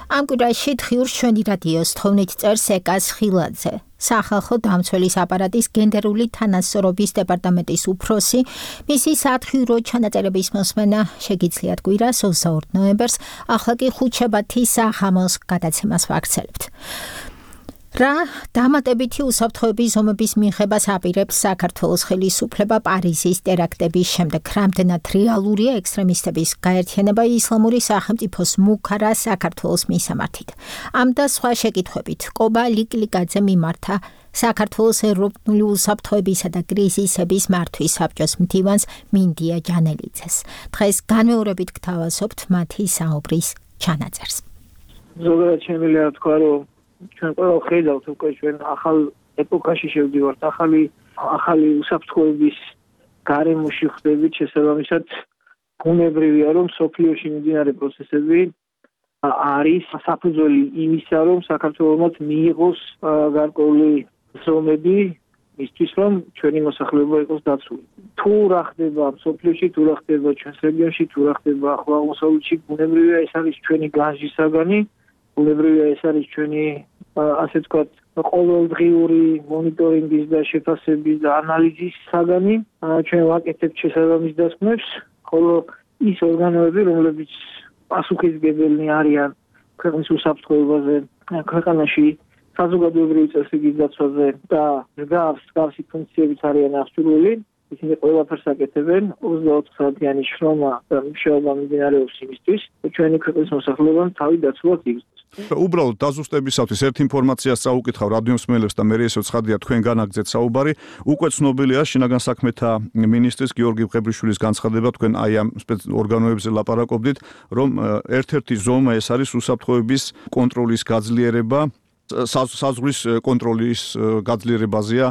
C: ამ კვირაში დღიურს ჩვენი რადიოს თხოვნით წერს ეკას ხილაძე. სახალხო დამცველის აპარატის გენდერული თანასწორობის დეპარტამენტის უფროსი, მისი სათხიურო ჩანაწერების მოსმენა შეგიძლიათ კვირას ოცდაორ ნოემბერს, ახლა კი ხუთშაბათის საღამოს გადაცემას ვაგრძელებთ. რა დამატებითი უსაფრთხოების ზომების მიღებას აპირებს საქართველოს ხელისუფლება პარიზის ტერაქტების შემდეგ, რამდენად რეალურია ექსტრემისტების გაერთიანება ისლამური სახელმწიფოს მუქარა საქართველოს მისამართით. ამ და სხვა შეკითხვებით კობა ლიკლიკაძე მიმართა საქართველოს ევროპული უსაფრთხოებისა და კრიზისების მართვის საბჭოს მდივანს მინდია ჯანელიძეს. დღეს განმეორებით გთავაზობთ მათი საუბრის ჩანაწერს.
K: ზოგადად შემიძლია თქვა, რომ ჩვენ ყველა ხედავთ უკვე ჩვენ ახალ ეპოქაში შევდივართ, ახალი ახალი უსაფრთხოების გარემოში ხდებით, შესაბამისად ბუნებრივია, რომ სოფლიოში მიმდინარე პროცესები არის საფუძველი იმისა, რომ საქართველოს მიიღოს გარკვეული ზომები მისთვის, რომ ჩვენი მოსახლეობა იყოს დაცული. თუ რა ხდება სოფლიოში, თუ რა ხდება ჩვენს რეგიონში, თუ რა ხდება ახლო აღმოსავლეთში, ბუნებრივია ეს არის ჩვენი განსჯის საგანი. ბუნებრივია ეს არის ჩვენი ასე ვთქვათ ყოველდღიური მონიტორინგის და შეფასების და ანალიზის საგანი. ჩვენ ვაკეთებთ შესაბამის დასკვნებს, ხოლო ის ორგანოები, რომლებიც პასუხისმგებელნი არიან ქვეყნის უსაფრთხოებაზე, ქვეყანაში საზოგადოებრივი წესრიგის დაცვაზე და მსგავსი ფუნქციებით არიან აღჭურვილი, ისინი ყველაფერს აკეთებენ. ოცდაოთხ საათიანი შრომა და მუშაობა მიმდინარეობს იმისთვის, რომ ჩვენი ქვეყნის მოსახლეობამ თავი დაცულად იგრძნოს.
D: უბრალოდ დაზუსტებისათვის ერთ ინფორმაციას წაუკითხავ რადიო მსმენელებს და მე ესეც ხადია თქვენ განაგზეთ საუბარი. უკვე ცნობილია შინაგან საქმეთა მინისტრის გიორგი მყებრიშვილის განცხადება, თქვენ აი ამ ორგანოებზე ლაპარაკობდით, რომ ერთ-ერთი ზომა ეს არის უსაფრთხოების კონტროლის გაძლიერება, საზღვრის კონტროლის გაძლიერებაზეა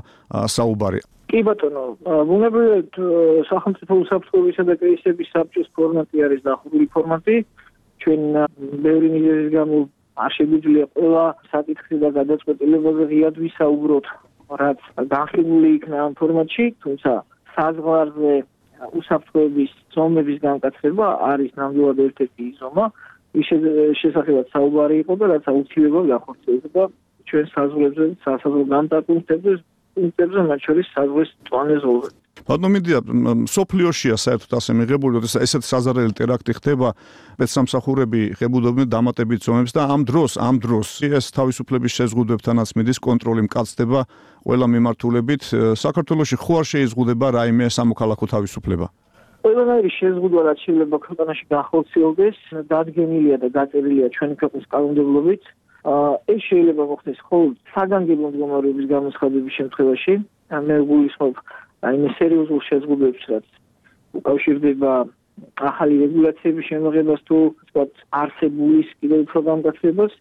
D: საუბარი.
K: კი ბატონო, ბუნებრივია სახელმწიფო უსაფრთხოებისა და კრიზისების საბჭოს ფორმატი არის დაახლოებული ფორმატი. ჩვენ ბევრი მიზეზის გამო არ შეგვიძლია ყველა საკითხი და გადაწყვეტილებაზე ღიად ვისაუბროთ, რაც განხილული იქნა ამ ფორმატში, თუმცა საზღვარზე უსაფრთხოების ზომების განკაცება არის ნამდვილად ერთ-ერთი ზომა, რის შესახებაც საუბარი იყო და რაც აუცილებლად განხორციელდება ჩვენ საზღვრებზე, სასაზღვრო განტაკუნთებზე, პუნქტებზე, მათ შორის საზღვრის მწვანე ზოლზე.
D: ბატონო მინდია სოფლიოშია საერთოდ ასე მიღებული, როდესაც ესეთ საზარელი ტერაქტი ხდება, სპეცსამსახურები ღებულობენ დამატებით ზომებს და ამ დროს, ამ დროს ეს თავისუფლების შეზღუდვებთანაც მიდის კონტროლი მკაცდება ყველა მიმართულებით. საქართველოში ხო არ შეიზღუდება რაიმე სამოქალაქო თავისუფლება?
K: ყველანაირი შეზღუდვა რაც შეიძლება ქვეყანაში განხორციელდეს, დადგენილია და დაწერილია ჩვენი ქვეყნის კანონმდებლობით. ეს შეიძლება მოხდეს მხოლოდ საგანგებო მდგომარეობის გამოცხადების შემთხვევაში. მე გულისხმობ რაიმე სერიოზულ შეზღუდვებს, რაც უკავშირდება ახალი რეგულაციების შემოღებას თუ ვთქვათ არსებულის კიდევ უფრო გამგაცრებას.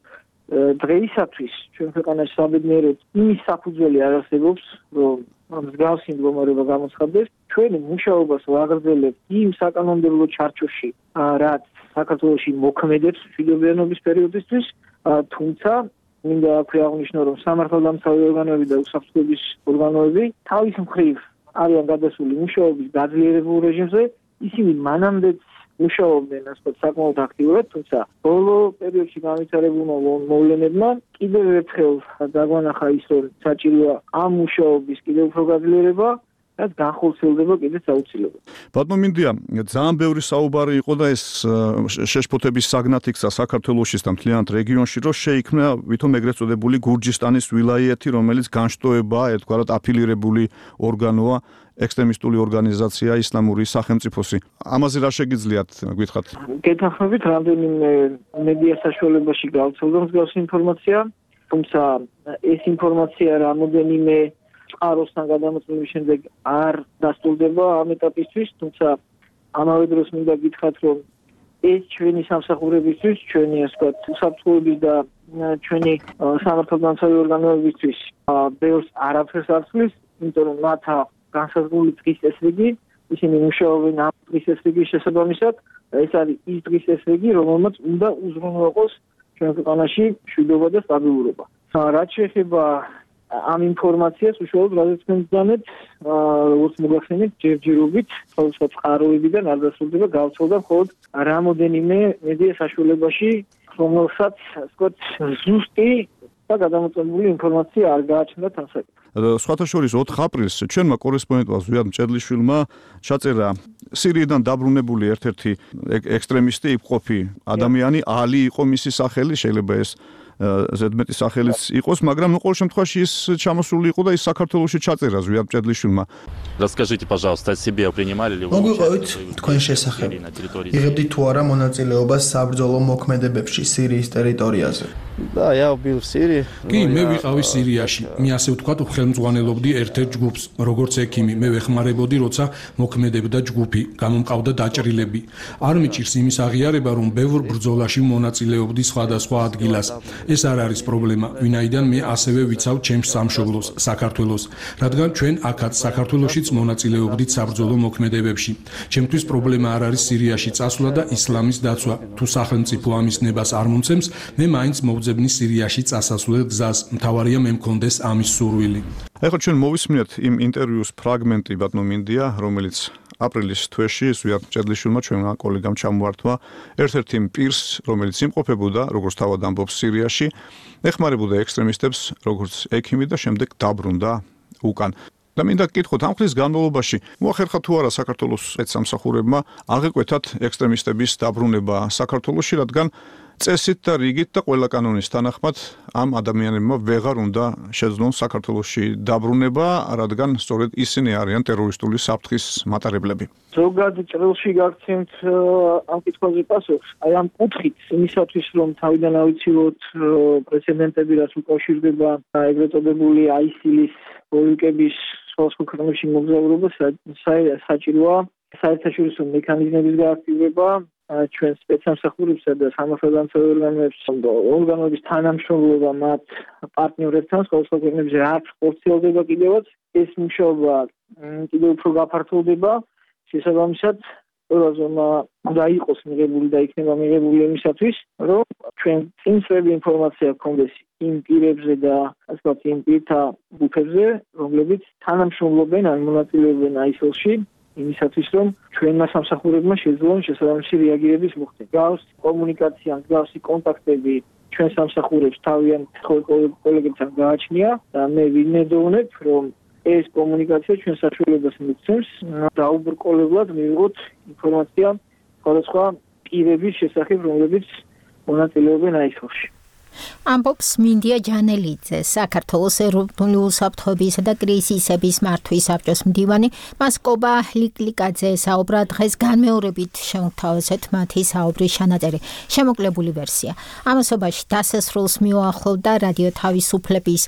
K: დღეისათვის ჩვენ ქვეყანაში საბედნიეროდ იმის საფუძველი არ არსებობს, რომ მსგავსი მდგომარეობა გამოცხადდეს. ჩვენი მუშაობას ვაგრძელებთ იმ საკანონმდებლო ჩარჩოში, რაც საქართველოში მოქმედებს მშვიდობიანობის პერიოდისთვის, თუმცა მინდა აქვე აღნიშნო, რომ სამართალდამცავი ორგანოები და უსაფრთხოების ორგანოები თავის მხრივ არიან გადასული მუშაობის გაძლიერებულ რეჟიმზე, ისინი მანამდეც მუშაობდნენ ასე საკმაოდ აქტიურად, თუმცა ბოლო პერიოდში განვითარებულმა მოვლენებმა კიდევ ერთხელ დაგვანახა ის, რომ საჭიროა ამ მუშაობის კიდევ უფრო გაძლიერება, რაც განხორციელდება კიდეც აუცილებლად.
D: ბატონო მინდია, ძალიან ბევრი საუბარი იყო და ეს შეშფოთების საგნად იქცა საქართველოშიც და მთლიანად რეგიონში, რომ შეიქმნა ვითომ ეგრეთ წოდებული გურჯისტანის ვილაიეთი, რომელიც განშტოებაა, ერთგვარად აფილირებული ორგანოა, ექსტრემისტული ორგანიზაცია ისლამური სახელმწიფოსი. ამაზე რა შეგიძლიათ გითხრათ?
K: გეთანხმებით, რამდენიმე მედია საშუალებაში გავრცელდა მსგავსი ინფორმაცია, თუმცა ეს ინფორმაცია რამოდენიმე წყაროსთან გადამოწმების შემდეგ არ დასტურდება ამ ეტაპისთვის, თუმცა ამავე დროს მინდა გითხრათ, რომ ეს ჩვენი სამსახურებისთვის, ჩვენი ასე ვთქვათ, უსაფრთხოების და ჩვენი სამართალდამცავი ორგანოებისთვის ბევრს არაფერს არ ცვლის, იმიტომ რომ მათ განსაზღვრული დღის წესრიგი, ისინი მუშაობენ ამ დღის წესრიგის შესაბამისად, ეს არის ის დღის წესრიგი, რომელმაც უნდა უზრუნველყოს ჩვენ ქვეყანაში მშვიდობა და სტაბილურობა. რაც შეეხება ამ ინფორმაციას უშუალოდ რადგან თქვენგანეთ როგორც მოგახსენეთ ჯერჯერობით თავისუფლად წყაროებიდან არ დასრულდება გავრცელდა მხოლოდ რამოდენიმე მედია საშუალებაში, რომელსაც ასე ვთქვათ ზუსტი და გადამოწმებული ინფორმაცია არ გააჩნდა თანსაკითხი.
D: სხვათა შორის ოთხ აპრილს ჩვენმა კორესპონდენტმა ზვიად მჭედლიშვილმა ჩაწერა სირიიდან დაბრუნებული ერთ-ერთი ექსტრემისტი იფყოფი ადამიანი, ალი იყო მისი სახელი, შეიძლება ეს ზედმეტი სახელიც იყოს, მაგრამ ნუ ყოველ შემთხვევაში ის ჩამოსული იყო და ის საქართველოში ჩაწერა ზვიად მჭედლიშვილმა.
L: Расскажите, пожалуйста, о себе, принимали ли вы
M: участие თქვენ შესახებ? იღებდით თუ არა მონაწილეობას საბრძოლო მოქმედებებში სირიის ტერიტორიაზე?
L: Да, я был в Сирии.
N: კი, მე ვიყავი სირიაში. მე ასე ვთქვათ, ხელმძღვანელობდი ერთ-ერთ ჯგუფს, როგორც ექიმი. მე ვეხმარებოდი, როცა მოქმედებდა ჯგუფი, გამომყავდა დაჭრილები. არ მიჭირს იმის აღიარება, რომ ბევრ ბრძოლაში მონაწილეობდი სხვადასხვა ადგილას. ეს არ არის პრობლემა, ვინაიდან მე ასევე ვიცავ ჩემს სამშობლოს, საქართველოს, რადგან ჩვენ აქაც საქართველოშიც მონაწილეობდით საბრძოლო მოქმედებებში. ჩემთვის პრობლემა არ არის სირიაში წასვლა და ისლამის დაცვა. თუ სახელმწიფო ამის ნებას არ მომცემს, მე მაინც მოვძებნი სირიაში წასასვლელ გზას. მთავარია მე მქონდეს ამის სურვილი.
D: ეხლა ჩვენ მოვისმინეთ იმ ინტერვიუს ფრაგმენტი ბატონო მინდია, რომელიც აპრილის თვეში ზვიად მჭედლიშვილმა ჩვენმა კოლეგამ ჩამოართვა ერთ-ერთ იმ პირს, რომელიც იმყოფებოდა, როგორც თავად ამბობს სირიაში, ეხმარებოდა ექსტრემისტებს, როგორც ექიმი და შემდეგ დაბრუნდა უკან. და მინდა გკითხოთ, ამ ხნის განმავლობაში მოახერხა თუ არა საქართველოს სპეცსამსახურებმა აღეკვეთათ ექსტრემისტების დაბრუნება საქართველოში, რადგან წესით და რიგით და ყველა კანონის თანახმად ამ ადამიანებმა ვეღარ უნდა შეძლონ საქართველოში დაბრუნება, რადგან სწორედ ისინი არიან ტერორისტული საფრთხის მატარებლები.
K: ზოგად ჭრილში გაგცემთ ამ კითხვაზე პასუხს, აი ამ კუთხით იმისათვის, რომ თავიდან ავიცილოთ პრეცედენტები, რაც უკავშირდება ეგრეთ წოდებული აისილის ბოლიკების სხვადასხვა ქვეყნებში მოგზაურობა, საჭიროა საერთაშორისო მექანიზმების გააქტიურება, ჩვენ სპეცსამსახურებსა და სამართალდამცავი ორგანოებს ორგანოების თანამშრომლობა მათ პარტნიორებთან სხვადასხვა ქვეყნებში რაც ხორციელდება კიდევაც, ეს მუშაობა კიდევ უფრო გაფართოვდება, შესაბამისად ყველა ზონა უნდა იყოს მიღებული და იქნება მიღებული იმისათვის, რომ ჩვენ წინსვები ინფორმაცია გქონდეს იმ პირებზე და ასე ვთქვათ იმ პირთა ჯგუფებზე, რომლებიც თანამშრომლობენ ან მონაწილეობენ აისილში, იმისათვის, რომ ჩვენმა სამსახურებმა შეძლონ შესაბამისი რეაგირების მოხდენა. გავს კომუნიკაცია, გავსი კონტაქტები ჩვენ სამსახურებს თავიანთ კოლეგებთან გააჩნია და მე ვიმედოვნებ, რომ ეს კომუნიკაცია ჩვენ საშუალებას მიგცემს დაუბრკოლებლად მივიღოთ ინფორმაცია სხვადასხვა პირების შესახებ, რომლებიც მონაწილეობენ აისხოში.
C: ამბობს მინდია ჯანელიძე, საქართველოს ეროვნული უსაფრთხოებისა და კრიზისების მართვის საბჭოს მდივანი. მას კობა ლიკლიკაძე საუბრა დღეს განმეორებით შემოგთავაზეთ მათი საუბრის ჩანაწერი, შემოკლებული ვერსია. ამასობაში დასასრულს მიუახლოვდა რადიო თავისუფლების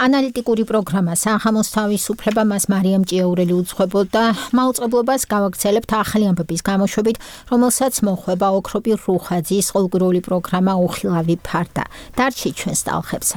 C: ანალიტიკური პროგრამა სახამოს თავისუფლება. მას მარიამ ჭიაურელი უძღვებოდა. მაუწყებლობას გავაგრძელებთ ახალი ამბების გამოშვებით, რომელსაც მოხვება ოქროპი რუხაძის ყოველკვირეული პროგრამა უხილავი ფარდა. დარჩი ჩვენს ტალხებზე.